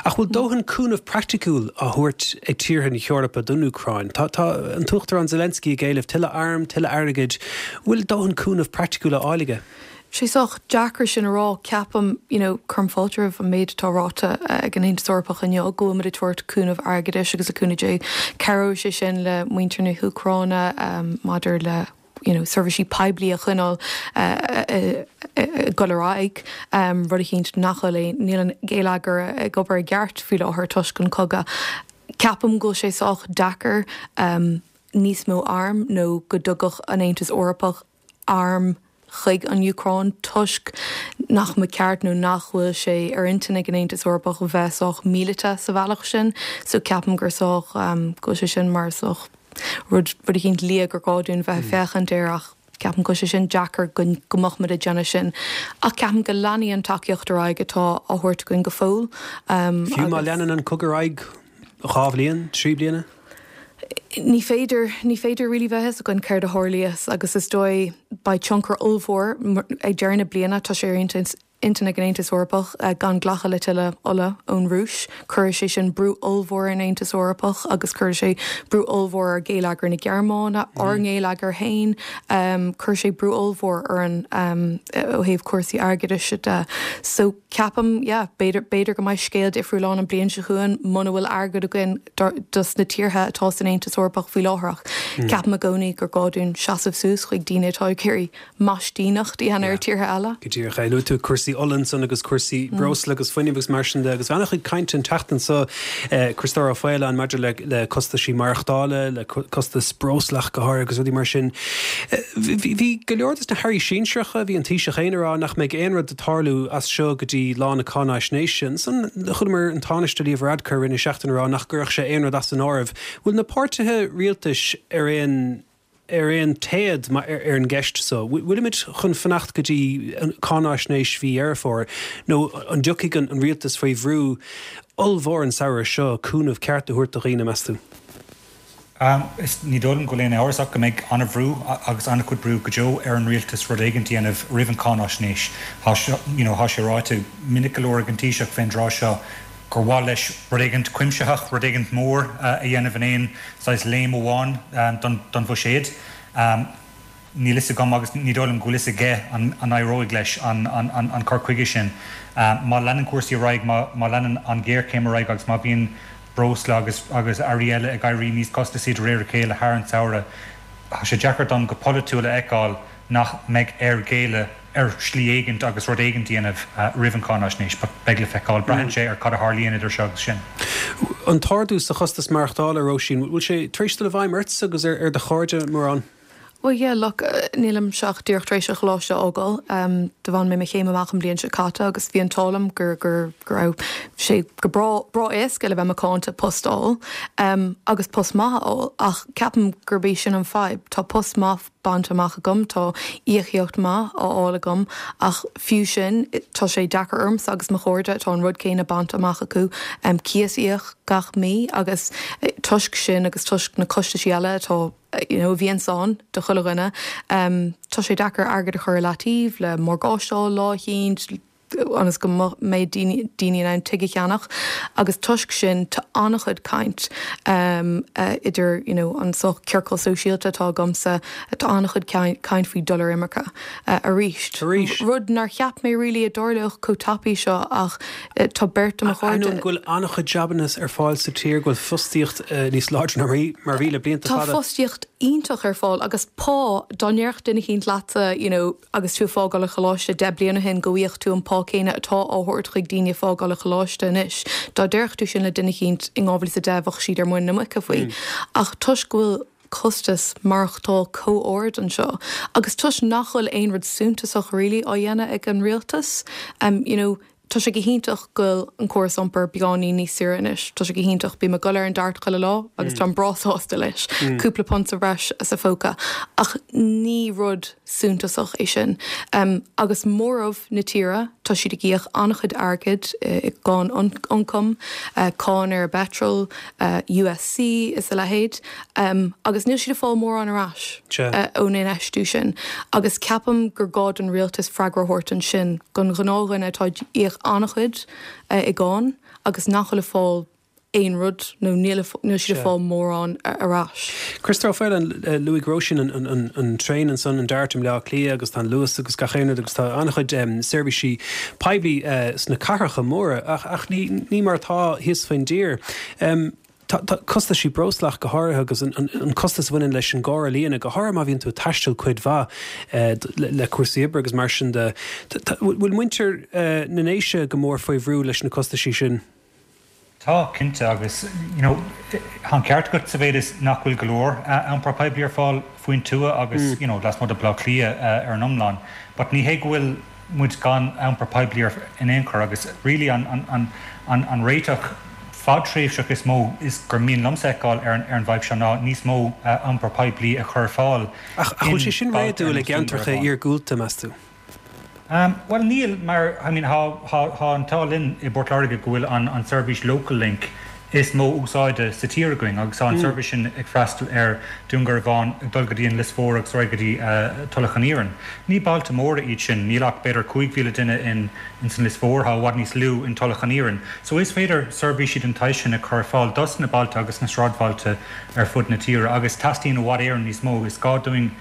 Ach bhfuil dóthain cúnamh praiticiúil á thabhairt ag tíortha na hEorpa don Úcráin. Tá tá an tUachtarán Zelensky ag éileamh tuilleadh arm, tuilleadh airgid, bhfuil dóthain cúnamh praiticiúil á fháil aige? Sé sách deacair sin a rá ceapaim you know, cuirim fáilte roimh an méid atá ráite ag an Aontas Eorpach inniu go bhfuil muid ag tabhairt cúnamh airgeadais agus a cúnamh Dé cabhróidh sé sin le muintir na hÚcráine um, maidir le you know, seirbhísí poiblí a choinneáil ag dul ar aghaidh um, rud eicínt nach bhfuil é níl an geilleagar ag obair i gceart faoi láthair toisc an cogadh. Ceapaim go sé sách deacair um, níos mó arm nó go dtugadh an Aontas Eorpach arm chuig an Úcráin toisc nach mba cheart nó nach bhfuil sé ar intinn ag an Aontas Eorpach bheith sách míleata sa bhealach sin, so ceapaim gur sách um, go sé sin mar sách rud rud eicínt liath gur gá dúinn bheith féachaint air ach ceapaim go sé sin deacair go go mbeadh muid ag déanamh sin. Ach ceapaim go leanfaidh an tacaíocht ar aghaidh atá á thabhairt againn go fóill. Um, Fiú má leanann an cogadh ar aghaidh dhá bhliain, trí bliana? Ní féidir ní féidir really bheith againn céard a tharlós agus is dóigh beidh tionchar ollmhór ag deireadh na bliana tá sé ar intinn ag an Aontas Eorpach uh, gan glacadh le tuilleadh ola ón Rúis. Chuir sé sin brú ollmhór an Aontas Eorpach agus chuir sé brú ollmhór ar gheilleagar na Gearmáine mm. ár ngeilleagar féin um, chuir sé brú ollmhór ar an um, ó thaobh cúrsaí airgeadais de. So ceapaim yeah, b'fhéidir b'fhéidir go mbeidh scéal difriúil ann an bliain seo chugainn muna bhfuil airgead againn dos na tíortha atá san Aontas Eorpach faoi láthair. Mm. Ceapaim i gcónaí gur gá dúinn seasamh suas chuig daoine atá ag iarraidh maistíneacht a dhéanamh ar tíortha eile. Go díreach é luaigh tú cúrsaí ola ansan agus cúrsaí mm. breosla agus fuinnimh agus mar sin de agus bhí an-chuid cainte an tseachtain seo eh, Criostóir Ó Faoláin maidir le, le costaisí maireachtála le costas breosla go háirithe agus rudaí mar sin. Eh, bhí go leor des na hairí sinsearacha bhí an Taoiseach féin ag rá nach mbeidh aon rud ag tarlú as seo go dtí lá na cáinaisnéise ansan chualamar an Tánaiste Leo Varadkar rinne seachtain rá nach gcuirfeadh sé aon rud as an áireamh. Bhfuil na páirtithe rialtais ar aon ar aon téad ar, ar an gceist so. Bhfuilimid chun fanacht go dtí cáinaisnéis mhí Dheireadh Fómhair nó an dtiocfaidh an, an rialtas faoi bhrú ollmhór an samhradh seo cúnamh ceart a thabhairt do dhaoine meas tú. Um, is ní dóigh liom go bhfuil aon amhras ach go mbeidh an-bhrú agus an-chuid brú go deo ar an rialtas rud éigin a dhéanamh roimh an cáinaisnéis. Tá you know, sé ráite minic go leor ag an Taoiseach fén dtráth seo gur mhaith leis rud éigin cuimsitheach rud éigin mór uh, a dhéanamh in aon saghas léim amháin um, don, don bhuiséad. Um, Níl fhios agam agus ní dóigh liom go bhfuil fhios aige an, an éireoidh leis an, an, an, an cur chuige sin. Um, má leanann cúrsaí ar aghaidh má, má leanann an ghéarchéim ar aghaidh agus má bhíonn breosla agus agus earraí eile ag éirí níos costasaí de réir a chéile thar an samhradh. Tá sé deacair dom go polaitiúil a fheiceáil nach mbeidh air géilleadh ar shlí éigin agus rud éigin a dhéanamh uh, roimh an cáinaisnéis, beidh le feiceáil braitheann sé ar cad a tharlaíonn idir seo agus sin. An t-ardú sa chostas maireachtála Róisín, bhfuil sé tar éis dul i bhfeidhm ort agus ar, ar do chairde mórán? Well yeah, look, nílimse ach díreach tar éis an choláiste a fhágáil. Um, do bhain mé mo chéim amach an bhliain seo caite agus bhí an t-ádh liom gur gur gur raibh sé go breá breá éasca le bheith macánta post a fháil um, agus post maith a fháil ach ceapaim gurb é sin an fadhb. Tá post maith bainte amach agam tá íocaíocht maith á fháil agam ach fiú sin tá sé deacair ormsa agus mo chairde tá an rud céanna bainte amach acu um, cíos a íoc gach mí agus eh, toisc sin agus toisc na costais eile atá you know, bhíonn ann do chuile dhuine. Um, tá sé deacair airgead a chur le taobh le morgáiste lá éicint ionas go mbeidh daoine in ann tigh a cheannach agus toisc sin tá an-chuid caint um, uh, idir you know, an so ciorcal sóisialta atá agamsa tá an-chuid caint faoi dul ar imirce uh, arís. Arís. Rud nár cheap mé really a dtarlódh chomh tapaidh seo ach uh, tá beirt de mo chairde. Go bhfuil an-chuid jabanna ar fáil sa tír go bhfuil fostaíocht uh, níos láidre ná mar bhí le blianta Tá fostaíocht iontach ar fáil agus pá dá ndéarfadh duine éicint leatsa you know, agus tú ag fágáil an choláiste deich bliana ó shin go bhfaigheadh tú an pá céanna atá á thabhairt chuig daoine ag fágáil an choláiste anois. Dá ndéarfadh tú sin le duine éicint in dhá mhíle is a deich bheadh siad ar muin na muice faoi. Mm. Ach toisc go bhfuil costas maireachtála chomh hard anseo. Agus toisc nach bhfuil aon rud suntasach really á dhéanamh ag an rialtas, um, you know, Tá sé go hiontach go bhfuil an córas iompair beagáinín níos saoire anois, Tá sé go hiontach bím ag dul ar an DART chuile lá agus mm. tá breá sásta leis, mm. cúpla punt sa bhreis sa phóca. Ach ní rud suntasach é sin. Um, agus móramh na tíre tá siad ag íoc an-chuid airgid i gcáin ioncaim, uh, cáin ar petrol, uh, USC is a leithéid, um, agus níl siad ag fáil mórán ar ais uh, ón infheistiú sin. Agus ceapaim gur gá don rialtas freagra a thabhairt ansin don ghnáthdhuine atá ag íoc an-chuid uh, i gcáin agus nach bhfuil ag fáil aon rud nó níl siad ag fáil mórán ar ais. Christopher Faolan luaigh Róisín an, an, an, an traein ansan an DART i mBleá Cliath agus tá an Luas agus gach aon rud agus tá an-chuid um, seirbhísí poiblí uh, sna cathracha móra ach, ach ní, ní mar atá thíos faoin dtír. Um, Tá costaisí breosla go háirithe agus an, an, an costas a bhaineann leis an gcarr a líonadh go háirithe má bhíonn tú ag taisteal cuid mhaith eh, le, le cúrsaí oibre agus mar sin de. Bhfuil muintir eh, na nDéise go mór faoi bhrú leis na costaisí sin? Tá cinnte agus you know, tá an ceart agat sa mhéid is nach bhfuil go leor iompar poiblí ar fáil faoin tuath agus mm. you know, lasmuigh de Bhleá Cliath uh, ar an iomlán. But ní hé go bhfuil muid gan iompar poiblí in aon chor agus really an, an, an, an, an réiteach fadtréimhseach is mó is gur mian liomsa a fheiceáil ar an ar an bhfadhb seo ná níos mó uh, iompar poiblí a chur fáil. Ach bhfuil sé sin réadúil i gceantracha iargúlta meas tú? Um, well níl mar I mean, tá an t-ádh linn i bPort Láirge go bhfuil an, an seirbhís Local Link is mó úsáide sa tír againn agus an mm. seirbhís sin ag freastal ar Dún Garbhán ag dul go dtí an Lios Mór agus go dtí uh, Tulach an Iarainn. Ní bailte móra iad sin níl ach b'fhéidir cúig mhíle duine in in san Lios Mór tá i bhfad níos lú in Tulach an Iarainn. So is féidir seirbhísí den tsaghas sin a chur fáil dos na bailte agus na sráidbhailte ar fud na tíre agus teastaíonn i bhfad Éireann níos mó is gá dúinn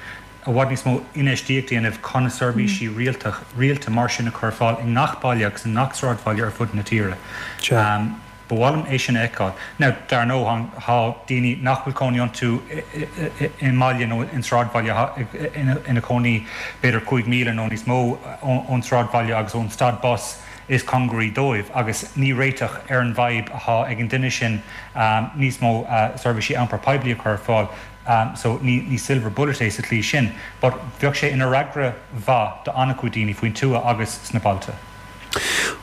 i bhfad níos mó infheistíocht a dhéanamh chun seirbhísí mm. rialta rialta mar sin a chur fáil i ngach baile agus i ngach sráidbhaile ar fud na tíre. Um, Ba mhaith liom é sin a fheiceáil. Now dar ndóigh tá daoine nach bhfuil cónaí iontu i mbaile nó in sráidbhaile ina cónaí b'fhéidir cúig míle nó níos mó ón sráidbhaile agus ón stad bus is cóngaraí dóibh agus ní réiteach ar an bhfadhb atá ag an duine sin um, níos mó uh, seirbhísí iompar poiblí a chur fáil. Um, so ní, ní silver bullet é sa tslí sin, but bheadh sé ina fhreagra mhaith do an-chuid daoine faoin tuath agus sna bailte.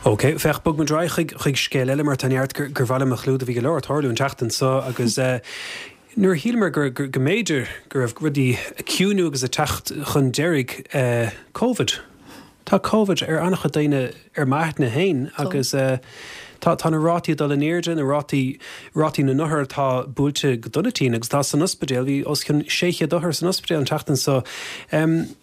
Ok, féach bogfaidh muid chuig chuig scéal eile mar tá neart gur gur mhaith liom a chlúdach bhí go leor ag tarlú an tseachtain seo agus uh, nuair a shíleamar gur go mb'fhéidir go raibh rudaí ag ciúnú agus ag teacht chun deiridh uh, COVID. Tá COVID ar an-chuid daoine ar m'aithne féin agus uh, tá tá na rátaí dul in airde na rátaí rátaí na n-othar atá buailte go dona tinn agus tá san ospidéal bhí os cionn sé chéad othar san ospidéal an tseachtain seo. Um,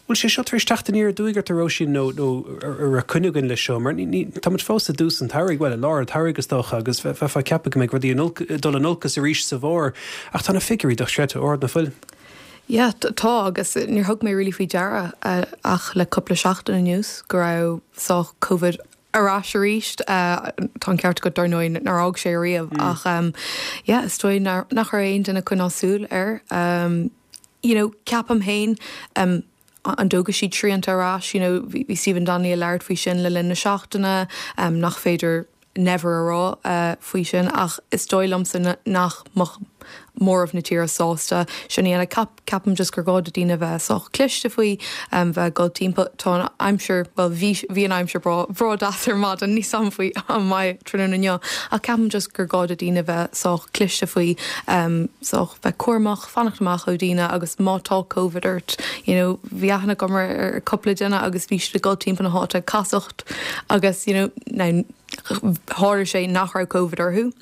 Bhfuil sé seo tar éis teacht aniar aduaidh ort a Róisín nó nó ar coinne le seo, mar táimid fós i dtús an tsamhraidh well i lár an tsamhraidh is dócha agus bheifeá ag ceapadh go mbeidh rudaí dul in olcas arís sa bhfómhar ach tá na figiúirí dochreidte ard nach bhfuil. Yeah, tá agus níor thug mé really faoi deara uh, ach le cúpla seachtain anuas go raibh sá COVID ar ais arís uh, tá an ceart agat dar ndóigh nár fhág sé riamh mm. ach um, yeah, is dóigh nach raibh aon duine ag coinneáil súil air um, you know, ceapaim féin um, an dtógfaidh siad srianta ar ais, you know, bhí Stephen Donnelly ag labhairt faoi sin le linn na seachtaine um, nach féidir never a rá uh, faoi sin ach is dóigh liomsa nach móramh na tíre sásta sin a dhéanamh. Ceapaim just gur gá do daoine bheith sách cliste faoi, bheith ag dul timpeall. Tá an aimsir, bhuel bhí bhí an aimsir breá breá deas ar maidin, níl 's a'm faoi an mbeidh tráthnóna inniu, ach ceapaim just gur gá do daoine bheith sách cliste faoi, sách bheith cúramach, fanacht amach ó daoine agus má tá Covid ort, you know, bhí aithne agam ar ar cúpla duine agus bhí siad ag dul timpeall na háite ag casacht agus you know, now tharla sé nach raibh Covid orthu.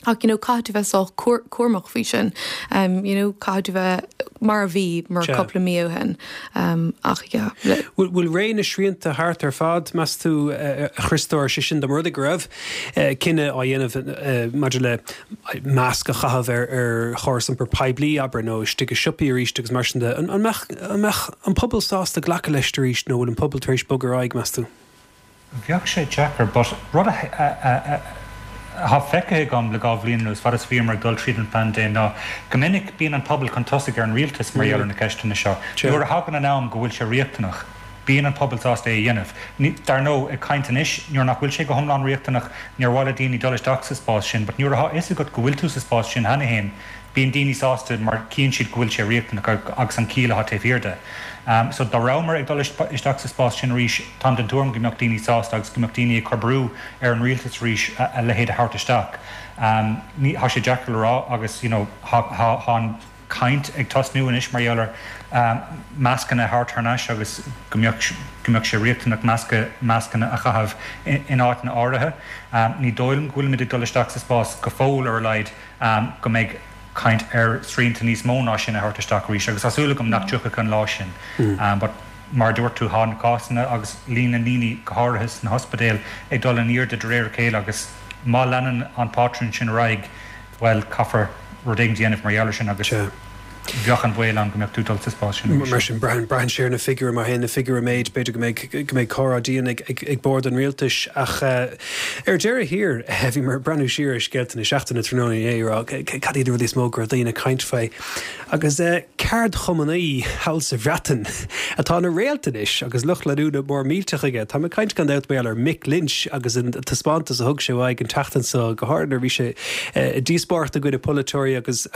Ach you know, caithfidh tú bheith sách cúramach faoi sin. Um, you know, caithfidh tú bheith mar a bhí mar cúpla mí ó shin. Um, ach yeah. Bhfuil bhfuil ré na srianta thart ar fad, meas tú, a Chriostóir, sé sin dá mba rud é go raibh cinneadh á dhéanamh maidir le masc a chaitheamh ar ar chóras iompair poiblí, abair, nó istigh i siopaí arís agus mar sin de. An an mbeadh an mbeadh an pobal sásta glacadh leis arís nó bhfuil an pobal tar éis bogadh ar aghaidh, meas tú? Bheadh sé deacair, but rud a atá feicthe agam le dhá bhliain anuas, fad is a bhíomar ag dul tríd an phaindéim, ná go minic bíonn an pobal chun tosaigh ar an rialtas mar gheall ar na ceisteanna seo. Nuair a thagann an am go bhfuil sé riachtanach, bíonn an pobal sásta é a dhéanamh. Dar ndóigh, ag caint anois, nuair nach bhfuil sé go hiomlán riachtanach, níor mhaith le daoine dul isteach sa spás sin, but nuair atá fhios agat go bhfuil tú sa spás sin cheana féin, bíonn daoine sásta mar chíonn siad go bhfuil sé riachtanach agus an chiall atá taobh thiar de. So dá rabhamar ag dul isteach sa spás sin arís, táim den tuairim go mbeadh daoine sásta agus go mbeadh daoine ag cur brú ar an rialtas arís a leithéid a thabhairt isteach. Ní, tá sé deacair le rá agus you know tá an chaint ag tosnú anois mar gheall ar mascanna a thabhairt thar n-ais agus go mbeadh go mbeadh sé riachtanach masca mascanna a chaitheamh in áiteanna áirithe. Ní dóigh liom go bhfuilimid ag dul isteach sa spás go fóill ar a laghad go mbeidh caint ar srianta níos mó ná sin a thabhairt isteach arís agus tá súil agam nach dtiocfaidh an lá sin. But mar a dúirt tú, tá na cásanna agus líon na ndaoine, go háirithe sna hospidéil, ag dul in airde de réir a chéile agus má leanann an pátrún sin ar aghaidh, bhuel, caithfear rud éigin a dhéanamh mar gheall air sin agus bheadh an baol ann go mbeadh tú ag dul sa spás sin arís. Mar sin, braitheann braitheann sé ar na figiúirí, mar théann na figiúirí i méid, b'fhéidir go mbeidh go mbeidh comhrá dian ag ag ag bord an rialtais. Ach ar deireadh thiar, bhíomar ag breathnú siar ar scéalta na seachtaine tráthnóna inné ag rá cad iad na rudaí is mó go raibh daoine ag caint faoi. Agus ceardchumannaí thall sa Bhreatain atá ina réalt anois agus lucht leanúna mór millteach aige. Táim ag caint gan dabht mar gheall ar Mick Lynch agus an taispeántas a thug sé uaidh an tseachtain seo, go háirithe nuair a bhí sé ag díospóireacht i gcoinne polaiteoirí agus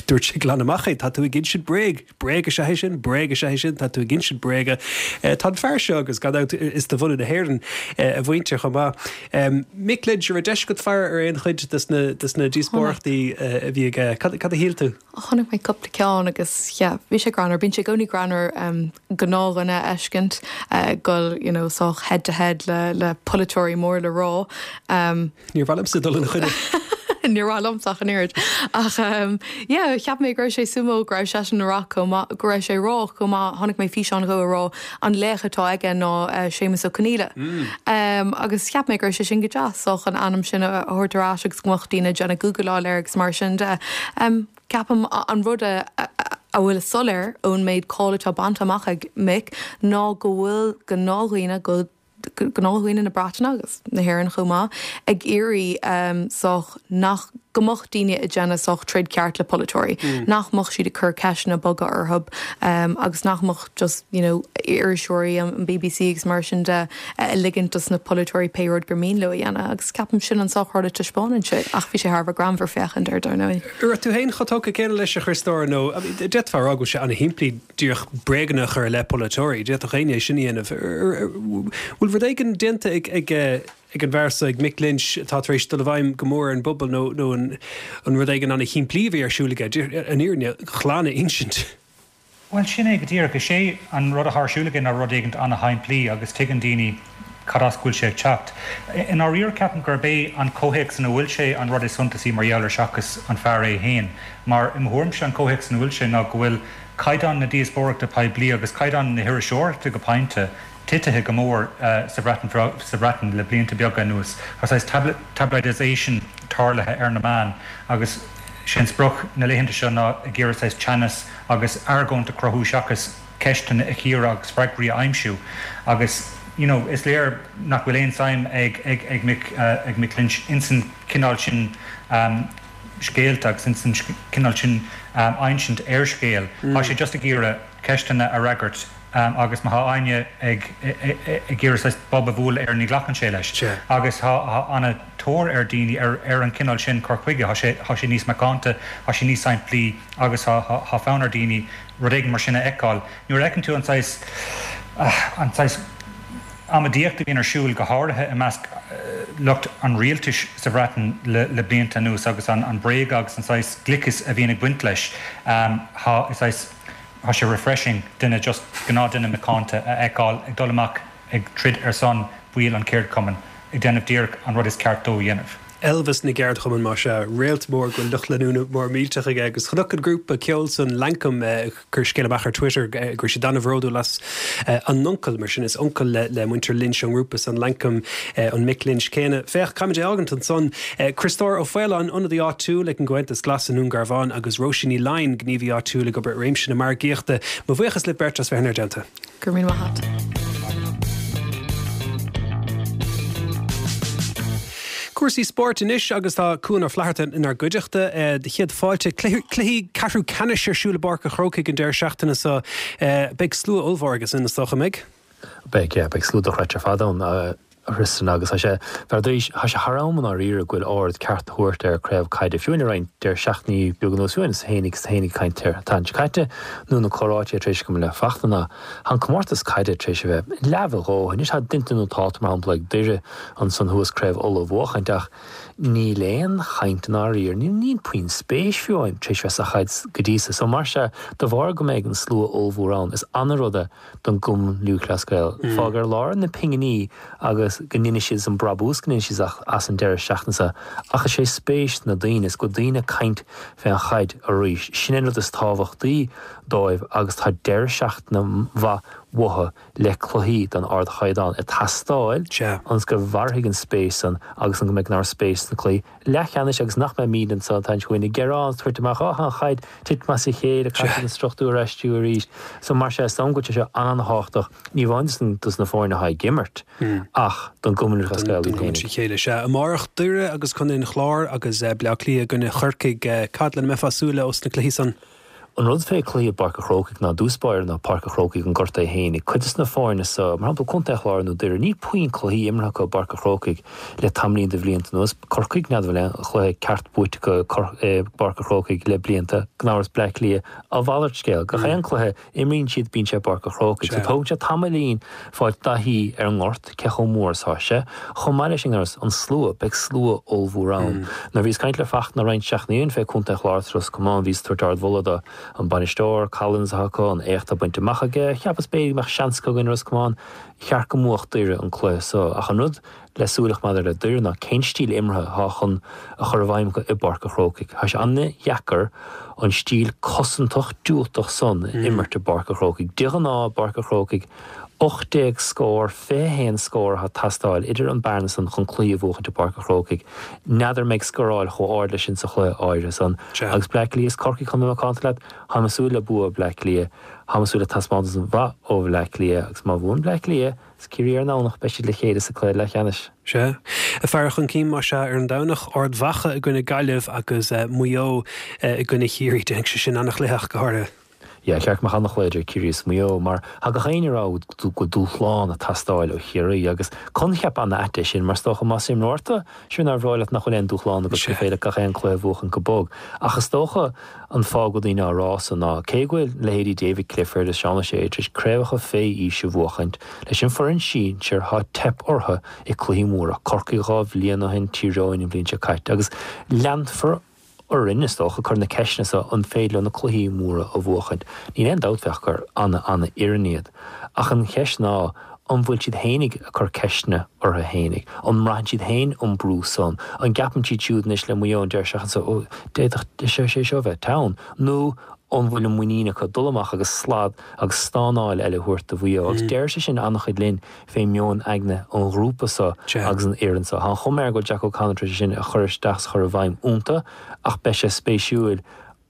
dúirt sé glan amach é, tá tú ag insint bréag, bréag is ea é sin, bréag is ea é sin, tá tú ag insint bréige. Tá an fear seo agus gan dabht is de bhunadh na hÉireann a mhuintir chomh maith. Mick Lynch, an raibh deis agat faire ar aon chuid des na des na díospóireachtaí a bhí aige? Cad cad a shíl tú? Chonaic mé cúpla ceann agus yeah, bhí sé greannmhar, bíonn sé i gcónaí greannmhar um, gnáthdhuine a fheiscint uh, dul you know, sách head to head le, le polaiteoirí mór le rá. Um, Níor mhaith liomsa dul ina choinne. Níor mhaith liomsa ach an oiread. Ach um, yeah, cheap mé go raibh sé suimiúil go raibh seisean ag rá chomh maith go raibh sé ag rá chomh maith chonaic mé físeán dhó ag rá an laoch atá aige ná uh, Séamus Ó Conghaile. Mm. Um, agus cheap mé go raibh sé sin go deas sách an ainm sin a thabhairt ar ais agus go mbeadh daoine ag déanamh googleáil air agus mar sin de. Um, ceapaim an rud a, a, a bhfuil soiléir ón méid cáil atá bainte amach ag Mick ná go bhfuil gnáthdhaoine go gnáthdhaoine na Breataine agus na hÉireann chomh maith ag iarraidh um, sách nach go mbeadh daoine ag déanamh sách troid ceart le polaiteoirí, mm. nach mbeadh siad ag cur ceisteanna boga orthu um, agus nach mbeadh just you know, iriseoirí an BBC agus mar sin de uh, ligint dos na polaiteoirí pé rud gur mian leo a dhéanamh agus ceapaim sin an sách rud a taispeánann sé ach bhí sé thar a bheith greannmhar féachaint air dar ndóigh. Raibh tú féin chomh tógtha céanna leis a Chriostóir nó d'fhéadfá a rá go bhfuil sé ana-shimplí díreach bréaganna a chur i leith polaiteoirí, d'fhéadfadh éinne é sin a dhéanamh. Bhfuil rud éigin déanta ag ag ag an bhfear seo ag Mick Lynch atá tar éis dul i bhfeidhm go mór ar an bpobal nó nó an an rud éigin ana-shimplí a bhí ar siúl aige, an fhírinne ghlan a insint. Bhuel, sin é go díreach. Is é an rud atá ar siúl aige ná rud éigin ana-shimplí agus tuigeann daoine cad as go bhfuil sé ag teacht. I ndáiríre ceapaim gurb é an comhthéacs ina bhfuil sé an rud is suntasaí mar gheall air seachas an fear é féin. Mar i mo thuairimse an comhthéacs ina bhfuil sé ná go bhfuil caighdeán na díospóireachta poiblí agus caighdeán na hiriseoireachta go pointe titithe go mór sa Bhreatain sa Bhreatain le blianta beaga anuas. Tá saghas tabloidisation tarlaithe ar na meáin agus sé an sprioc na laethanta seo ná ag iarraidh saghas teannas agus argóint a chruthú seachas ceisteanna a chíoradh agus freagraí a aimsiú agus you know is léir nach bhfuil aon suim ag ag ag Mick ag Mick Lynch insan cineál sin scéalta agus insan cineál sin insint ar scéal. Tá sé just ag iarraidh ceisteanna a fhreagairt Agus má tá éinne ag ag iarraidh saghas bob a bhualadh air ní ghlacann sé leis. Agus tá an-tóir ar daoine ar ar an cineál sin cur chuige, tá sé tá sé níos macánta, tá sé níos simplí agus tá tá fonn ar daoine rud éigin mar sin a fheiceáil. Nuair a fheiceann tú an saghas an saghas amaidíocht a bhíonn ar siúl go háirithe i measc lucht an rialtais sa Bhreatain le le blianta anuas agus an an bréag agus an saghas gliceas a bhíonn ag baint leis, tá is saghas Tá sé refreshing duine just gnáthdhuine macánta a fheiceáil ag dul amach ag troid ar son baill an cheardchumainn, ag déanamh díreach an rud is ceart dó a dhéanamh. Elvis na gceardchumann, más ea, réalt mór go bhfuil lucht leanúna mór millteach aige agus chonac an grúpa ceoil san Lankum ag cur scéal amach ar Twitter go raibh siad an-bhródúil as a n-uncail, mar sin is uncail le le muintir Lynch an ngrúpa san Lankum an Mick Lynch céanna. Féach, caithfimid é fhágaint ansan. Criostóir Ó Faoláin, ionadaí áitiúil ag an gComhaontas Glas i nDún Garbhán agus Róisín Ní Laighin, gníomhaí áitiúil ag obair i réimse na margaíochta. Mo bhuíochas libh beirt as bheith inár dteannta. Go raibh míle maith agat. Cúrsaí spóirt anois agus tá Cuan Ó Flatharta inár gcuideachta. Do chéad fáilte. Cluichí ceathrú ceannais ar siúl i bPáirc an Chrócaigh an deireadh seachtaine seo. Beidh slua ollmhór aige sin, is dócha, an mbeidh? Beidh, yeah, beidh slua dochreidte ar fad ann, a Thristan, agus tá sé, dar ndóigh, tá sé thar am i ndáiríre go bhfuil aird ceart á thabhairt ar craobh caide. Fiú le roinnt deireadh seachtainí beag anuas, fiú is féinig is féinig caint air an tseachtain seo caite, nó na comhráite tar éis agam le Fachtna ná tá an comórtas caide tar éis a bheith leamh a dhóthain. Anois tá déanta nótálta mar shampla ag Doire ansan thuas Craobh Uladh a bhuachaint ach níl aon chaint i ndáiríre, níl níl puinn spéis fiú amháin tar éis bheith sa chaid go dtí so. So mar sea, de bharr go mbeidh an slua ollmhór ann, is ana-rud é don gCumann Lúthchleas Gael. Fág ar lár na pinginí agus go ndéanfaidh siad an brabús go ndéanfaidh siad as an deireadh seachtaine seo ach is é spéis na daoine, is go bhfuil daoine ag caint fén chaid arís. Sin an rud is tábhachtaí dóibh agus tá deireadh seachtaine mhaith uathu le cluichí den ardchaighdeán ag teastáil ionas go mhairfidh an spéis san agus go mbeidh an spéis sna cluichí leathcheannais agus nach mbeimid anso an t-am seo chugainn ag gearán is tabhairt amach, Á, tá an chaid tite as a chéile, caithfidh an struchtúr a aistriú arís. So mar sea, is dóigh liom go bhfuil sé seo an-thábhachtach, ní amháin dos na foirne atá ag imirt ach don gCumann Lúthchleas Gael iad féinig. Chéile. Sea, amárach Doire agus Contae an Chláir agus Bleá Cliath i gcoinne Chorcaigh. Cad lena mbeifeá ag súil ós na cluichí san? An rud fé cluiche i bPáirc a' Chrócaigh ná i dtús báire ná Páirc a' Chrócaigh an gort é fhéinig. Cuid de na foirne so, mar shampla Contae an Chláir nó Doire, níl puinn cluichí imeartha acu i bPáirc a' Chrócaigh le tamaillín de bhlianta anuas. Corcaigh, n'fheadar an bhfuil aon chluiche ceart buaite acu i bPáirc a' Chrócaigh le blianta. Gan amhras Bleá Cliath, a mhalairt scéil. Gach aon cluiche imríonn siad bíonn sé i bPáirc a' Chrócaigh. So tógann sé tamaillín fáil taithí ar an ngort, cé chomh mór is atá sé. Chomh maith leis sin, gan amhras, an slua, beidh slua ollmhór ann. Nuair a bhíos ag caint le Fachtna roinnt seachtainí ó shin fé Contae an Chláir is Ros Comáin, bhíos ag tabhairt ardmholadh do an bainisteoir, Collins atá acu, an éacht atá bainte amach aige. Cheapas b'fhéidir go mbeadh seans acu i gcoinne Ros Comáin. Cheart go mbuafadh Doire an cluiche so. Ach an rud le súil a choimeád air le Doire ná cén stíl imeartha atá chun a chur i bhfeidhm acu i bPáirc a' Chrócaigh. Tá sé an-dheacair an stíl cosantach diúltach san a imirt i bPáirc a' Chrócaigh. De ghnáth i bPáirc a' Chrócaigh ocht déag scór, fiche haon scór atá ag teastáil idir an bearna san chun cluiche a bhuachaint i bPáirc a' Chrócaigh. N'fheadar an mbeidh scóráil chomh ard leis sin sa chluiche áirithe san. Agus Bleá Cliath is Corcaigh chun bheith macánta leat, táim ag súil le bua Bleá Cliath. Táim ag súil le taispeántas mhaith ó Bhleá Cliath agus má bhuann Bleá Cliath is Ciarraí ar an nDomhnach beidh siad le chéile sa cluiche leathcheannais. Sea. Ag faire chun cinn más ea ar an Domhnach, Ard Mhacha i gcoinne Gaillimh agus Maigh Eo i gcoinne Chiarraí. Déanfaidh sé sin an-chluiche ach go háirithe. Yeah, cheart go mbeadh an-chluiche idir Ciarraí is Maigh Eo mar tá gach éinne ag rá go bhfuil dúshlán ag teastáil ó Chiarraí agus coincheap an-ait é sin mar is dócha más imreoir tú, sure nár bhreá leat nach bhfuil aon dúshlán agat gur féidir leat gach aon cluiche a bhuachan go bog. Ach is dócha an fáth go bhfuil daoine á rá san ná cé go bhfuil leithéidí David Clifford is Seán O'Shea tar éis craobhacha fé aois a bhuachaint, leis an foireann sinsir tá teip orthu i cluichí móra, Corcaigh dhá bhliain ó shin, Tír Eoghain an bhliain seo caite agus leanfar orainn, is dócha, cur na ceisteanna seo, an féidir leo na cluichí móra a bhuachaint? Níl aon dabht fé gur ana-ana-fhoireann iad. Ach an cheist ná, an bhfuil siad fhéinig ag cur ceisteanna orthu fhéinig? An mbraitheann siad féin an brú san? An gceapann siad siúd anois le Maigh Eo an deireadh seachtaine seo, ó, d'fhéadfadh sé seo a bheith teann? Nó an bhfuil an muinín acu dul amach agus slad agus stánáil eile a thabhairt do Mhaigh Eo? Agus deir sé sin an-chuid linn fé meon aigne an ghrúpa seo agus an fhoireann seo. Tá an chuma air go bhfuil Jack O'Connor tar éis é sin a chur isteach is a chur i bhfeidhm iontu ach beidh sé spéisiúil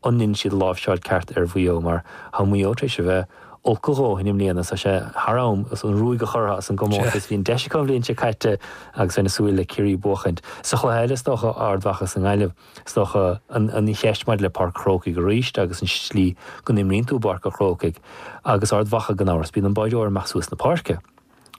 an ndéanfaidh siad láimhseáil ceart ar Mhaigh Eo mar tá Maigh Eo tar éis a bheith olc a dhóthain i mbliana, tá sé thar am an ruaig a chur as an gcomórtas. Bhí an deis acu an bhliain seo caite agus bheinn ag súil le Ciarraí a bhuachaint. Sa chluiche eile is dócha Ard Mhacha is an Ghaillimh, is dócha an cheist maidir le Páirc Chrócaigh arís agus an tslí go n-imríonn tú i bPáirc an Chrócaigh agus Ard Mhacha gan amhras, bíonn an báideoir amach suas na páirce.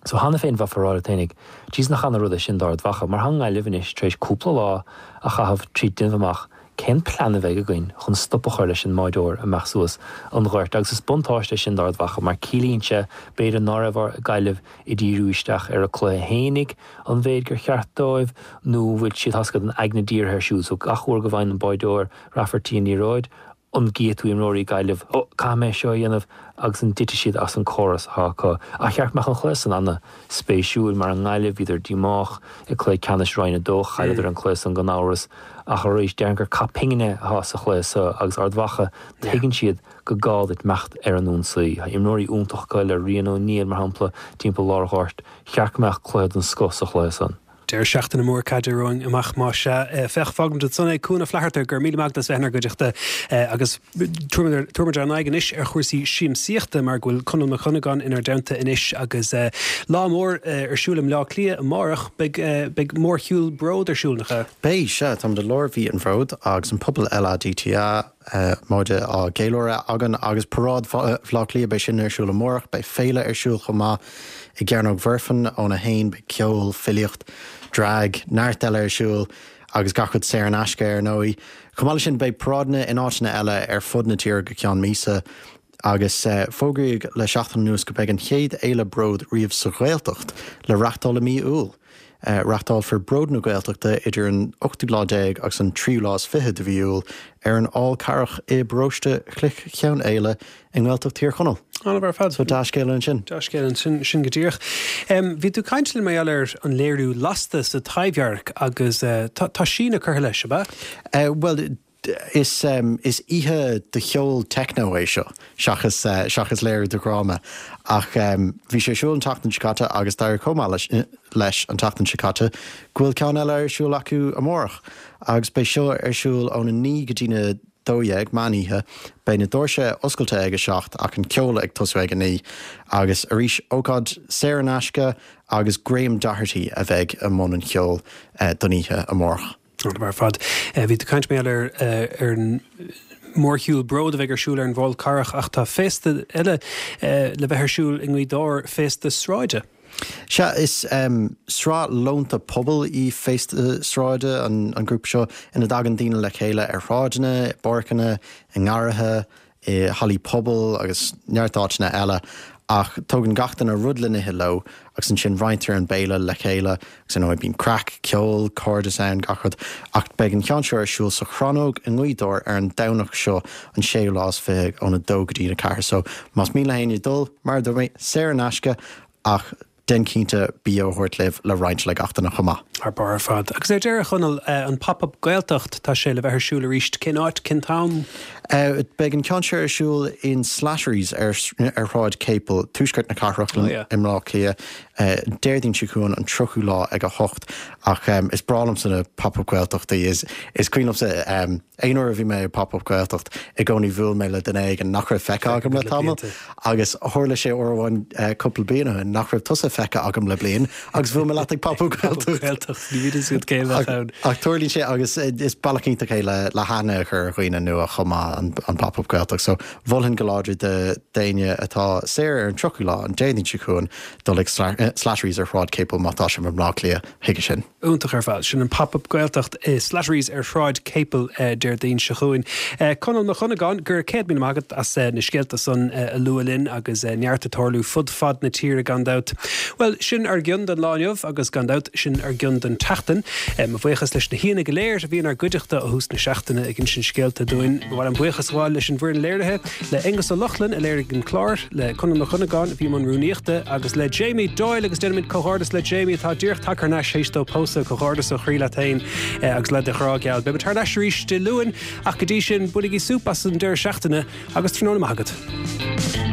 So cheana féin bheifeá ag rá leat fhéinig, Jeez nach ana rud é sin d'Ard Mhacha, mar tá an Ghaillimh anois tar éis cúpla lá a chaitheamh trí déanamh amach cén plean a bheidh againn chun stop a chur leis an mbáideoir amach suas an ghoirt agus is buntáiste é sin d'Ard Mhacha mar ciallaíonn sé b'fhéidir ná raibh Gaillimh ag díriú isteach ar a cluiche fhéinig an mhéid gur cheart dóibh nó bhfuil siad tá an aigne dírithe air siúd so gach uair go bhfaigheann an báideoir Rafferty an liathróid an gcífidh tú imreoirí Gaillimh, ó, caithfidh mé seo a dhéanamh agus an dtitfidh siad as an córas atá acu. Ach cheart go mbeadh an cluiche san ana-spéisiúil mar an nGaillimh, bhíodar díomách i cluiche ceannais Roinn a dó, chailleadar an cluiche san gan amhras ach arís déarfainn gur cath pingine atá sa chluiche seo agus Ard Mhacha, tuigeann siad go gá duit imeacht ar an ionsaí. Tá imreoirí iontacha acu le Rian O'Neill mar shampla timpeall lár an ghoirt, cheart go mbeadh cluiche den scoth sa chluiche san. Deireadh seachtaine mór caide romhainn amach más ea. Féach, fágfaimid ansan é Cuan Ó Flatharta, go raibh míle maith agat as bheith inár gcuideachta agus tabharfaimid ár n-aghaidh anois ar chúrsaí siamsaíochta mar go bhfuil Conall Mac Dhonnagáin inár dteannta anois agus lá mór ar siúl i mBleá Cliath amárach. Beidh beidh mórshiúl Bród ar siúl, nach ea? Beidh, sea. Táimid i lár mhí an Bhróid agus an pobal LADTA móide á gceiliúradh againn agus Paráid Bhaile Átha Cliath, beidh sin ar siúl amárach. Beidh féile ar siúl chomh maith i gCearnóg Mhuirfean óna haon, beidh ceol, filíocht, drag, neart eile ar siúl agus gach rud saor in aisce ar ndóigh. Chomh maith leis sin beidh paráideanna in áiteanna eile ar fud na tíre go ceann míosa agus fógraíodh le seachtain anuas go mbeidh an chéad fhéile Bród riamh sa Ghaeltacht le reachtáil i mí Iúil. Reachtálfar Bród na Gaeltachta idir an ochtú lá déag agus an tríú lá is fiche de mhí Iúil ar an Fhál Carrach i bparóiste Chloich Cheann Fhaola i nGaeltacht Thír Chonaill. An-mhaith ar fad. So dea-scéala ansin. Dea-scéala ansin, sin go díreach. Bhí tú ag caint linn mar gheall ar an léiriú Lasta sa Taibhdhearc agus tá síneadh curtha leis, ab ea? Bhuel, Is is oíche de cheol techno é seo seachas seachas léiriú de dhráma ach bhí sé ar siúl an tseachtain seo caite agus d'éirigh chomh maith leis leis an tseachtain seo caite go bhfuil ceann eile ar siúl acu amárach agus beidh seo ar siúl óna naoi go dtí na dó dhéag, meán oíche. Beidh na doirse oscailte ag a seacht ach an ceol ag tosú ag a naoi agus arís ócáid saor in aisce agus Graham Doherty a bheidh i mbun an cheoil don oíche amárach. An-mhaith ar fad. Bhí tú ag caint mar gheall ar ar an mórshiúl Bród a bheidh ar siúl ar an bhFál Carrach ach tá féasta eile le bheith ar siúl i nGaoth Dobhair, Féasta Sráide. Sea, is sraith lónta pobail í Féasta Sráide, an grúpa seo ina dtagann daoine le chéile ar shráideanna, i bpáirceanna, i ngarraithe, i hallaí pobail agus neart áiteanna eile ach tógann gach duine rud le n-ithe leo agus ansin roinntear an béile le chéile agus ar ndóigh bíonn craic, ceol, cairdeas ann, gach rud ach beidh an ceann seo ar siúl sa Chrannóg i nGaoth Dobhair ar an Domhnach seo an séú lá is fiche óna dó go dtí a ceathair so más mian le héinne dul, mar a dúirt mé, saor in aisce ach déan cinnte bia a thabhairt libh le roinnt le gach duine chomh maith. Thar barr ar fad. Agus ar deireadh, a Chonaill, an Pop Up Gaeltacht, tá sé le bheith ar siúl arís. Cén áit, cén t-am? Beidh an ceann seo ar siúl in Slattery's ar Shráid Capel, tuaisceart na cathrach i mBleá Cliath, Déardaoin seo chugainn, an tríochú lá ag a hocht. Ach is breá liomsa na Pop Up Gaeltachtaí. Is cuimhin liomsa Aon uair a bhí mé ag Pop Up Gaeltacht, i gcónaí bhuail mé le duine éigin nach raibh feicthe agam le tamall agus tharla sé uair amháin cúpla bliain ó shin nach raibh tusa feicthe agam le bliain agus bhuail mé leat ag Pop Up Gaeltacht. Gaeltacht, ní bhíonn a fhios agat cé a bheadh ann. Ach tarlaíonn sé agus is bealach iontach é le le haithne a chur ar dhaoine nua chomh maith an an Pop Up Gaeltacht. So mholfainn go láidir d'éinne atá saor ar an tríochú lá, an Déardaoin seo chugainn, dul ag Slattery's ar Shráid Capel má tá sibh i mBleá Cliath chuige sin. Iontach ar fad. Sin an Pop Up Gaeltacht i Slattery's ar Shráid Capel Déardaoin seo chugainn. Conall Mac Dhonnagáin, go raibh céad míle maith agat as na scéalta san a lua linn agus neart ag tarlú fud fad na tíre gan dabht. Bhuel, sin ár gcion don lá inniu agus gan dabht sin ár gcion don tseachtain. Mo bhuíochas leis na haíonna go léir a bhí inár gcuideachta ó thús na seachtaine ag insint scéalta dúinn. Ba mhaith liom buíochas a ghabháil leis an bhfoireann léirithe, le Aonghus Ó Lochlainn a léirigh an clár, le Conall Mac Dhonnagáin a bhí i mbun rúnaíochta agus le Jamie Doyle agus déanaimid comhghairdeas le Jamie atá díreach tagtha thar n-ais théis dó pósadh, comhghairdeas ó chroí leat féin agus le do ghrá geal. Beidh muid thar n-ais arís Dé Luain ach go dtí sin bainigí súp as an deireadh seachtaine agus tráthnóna maith agat.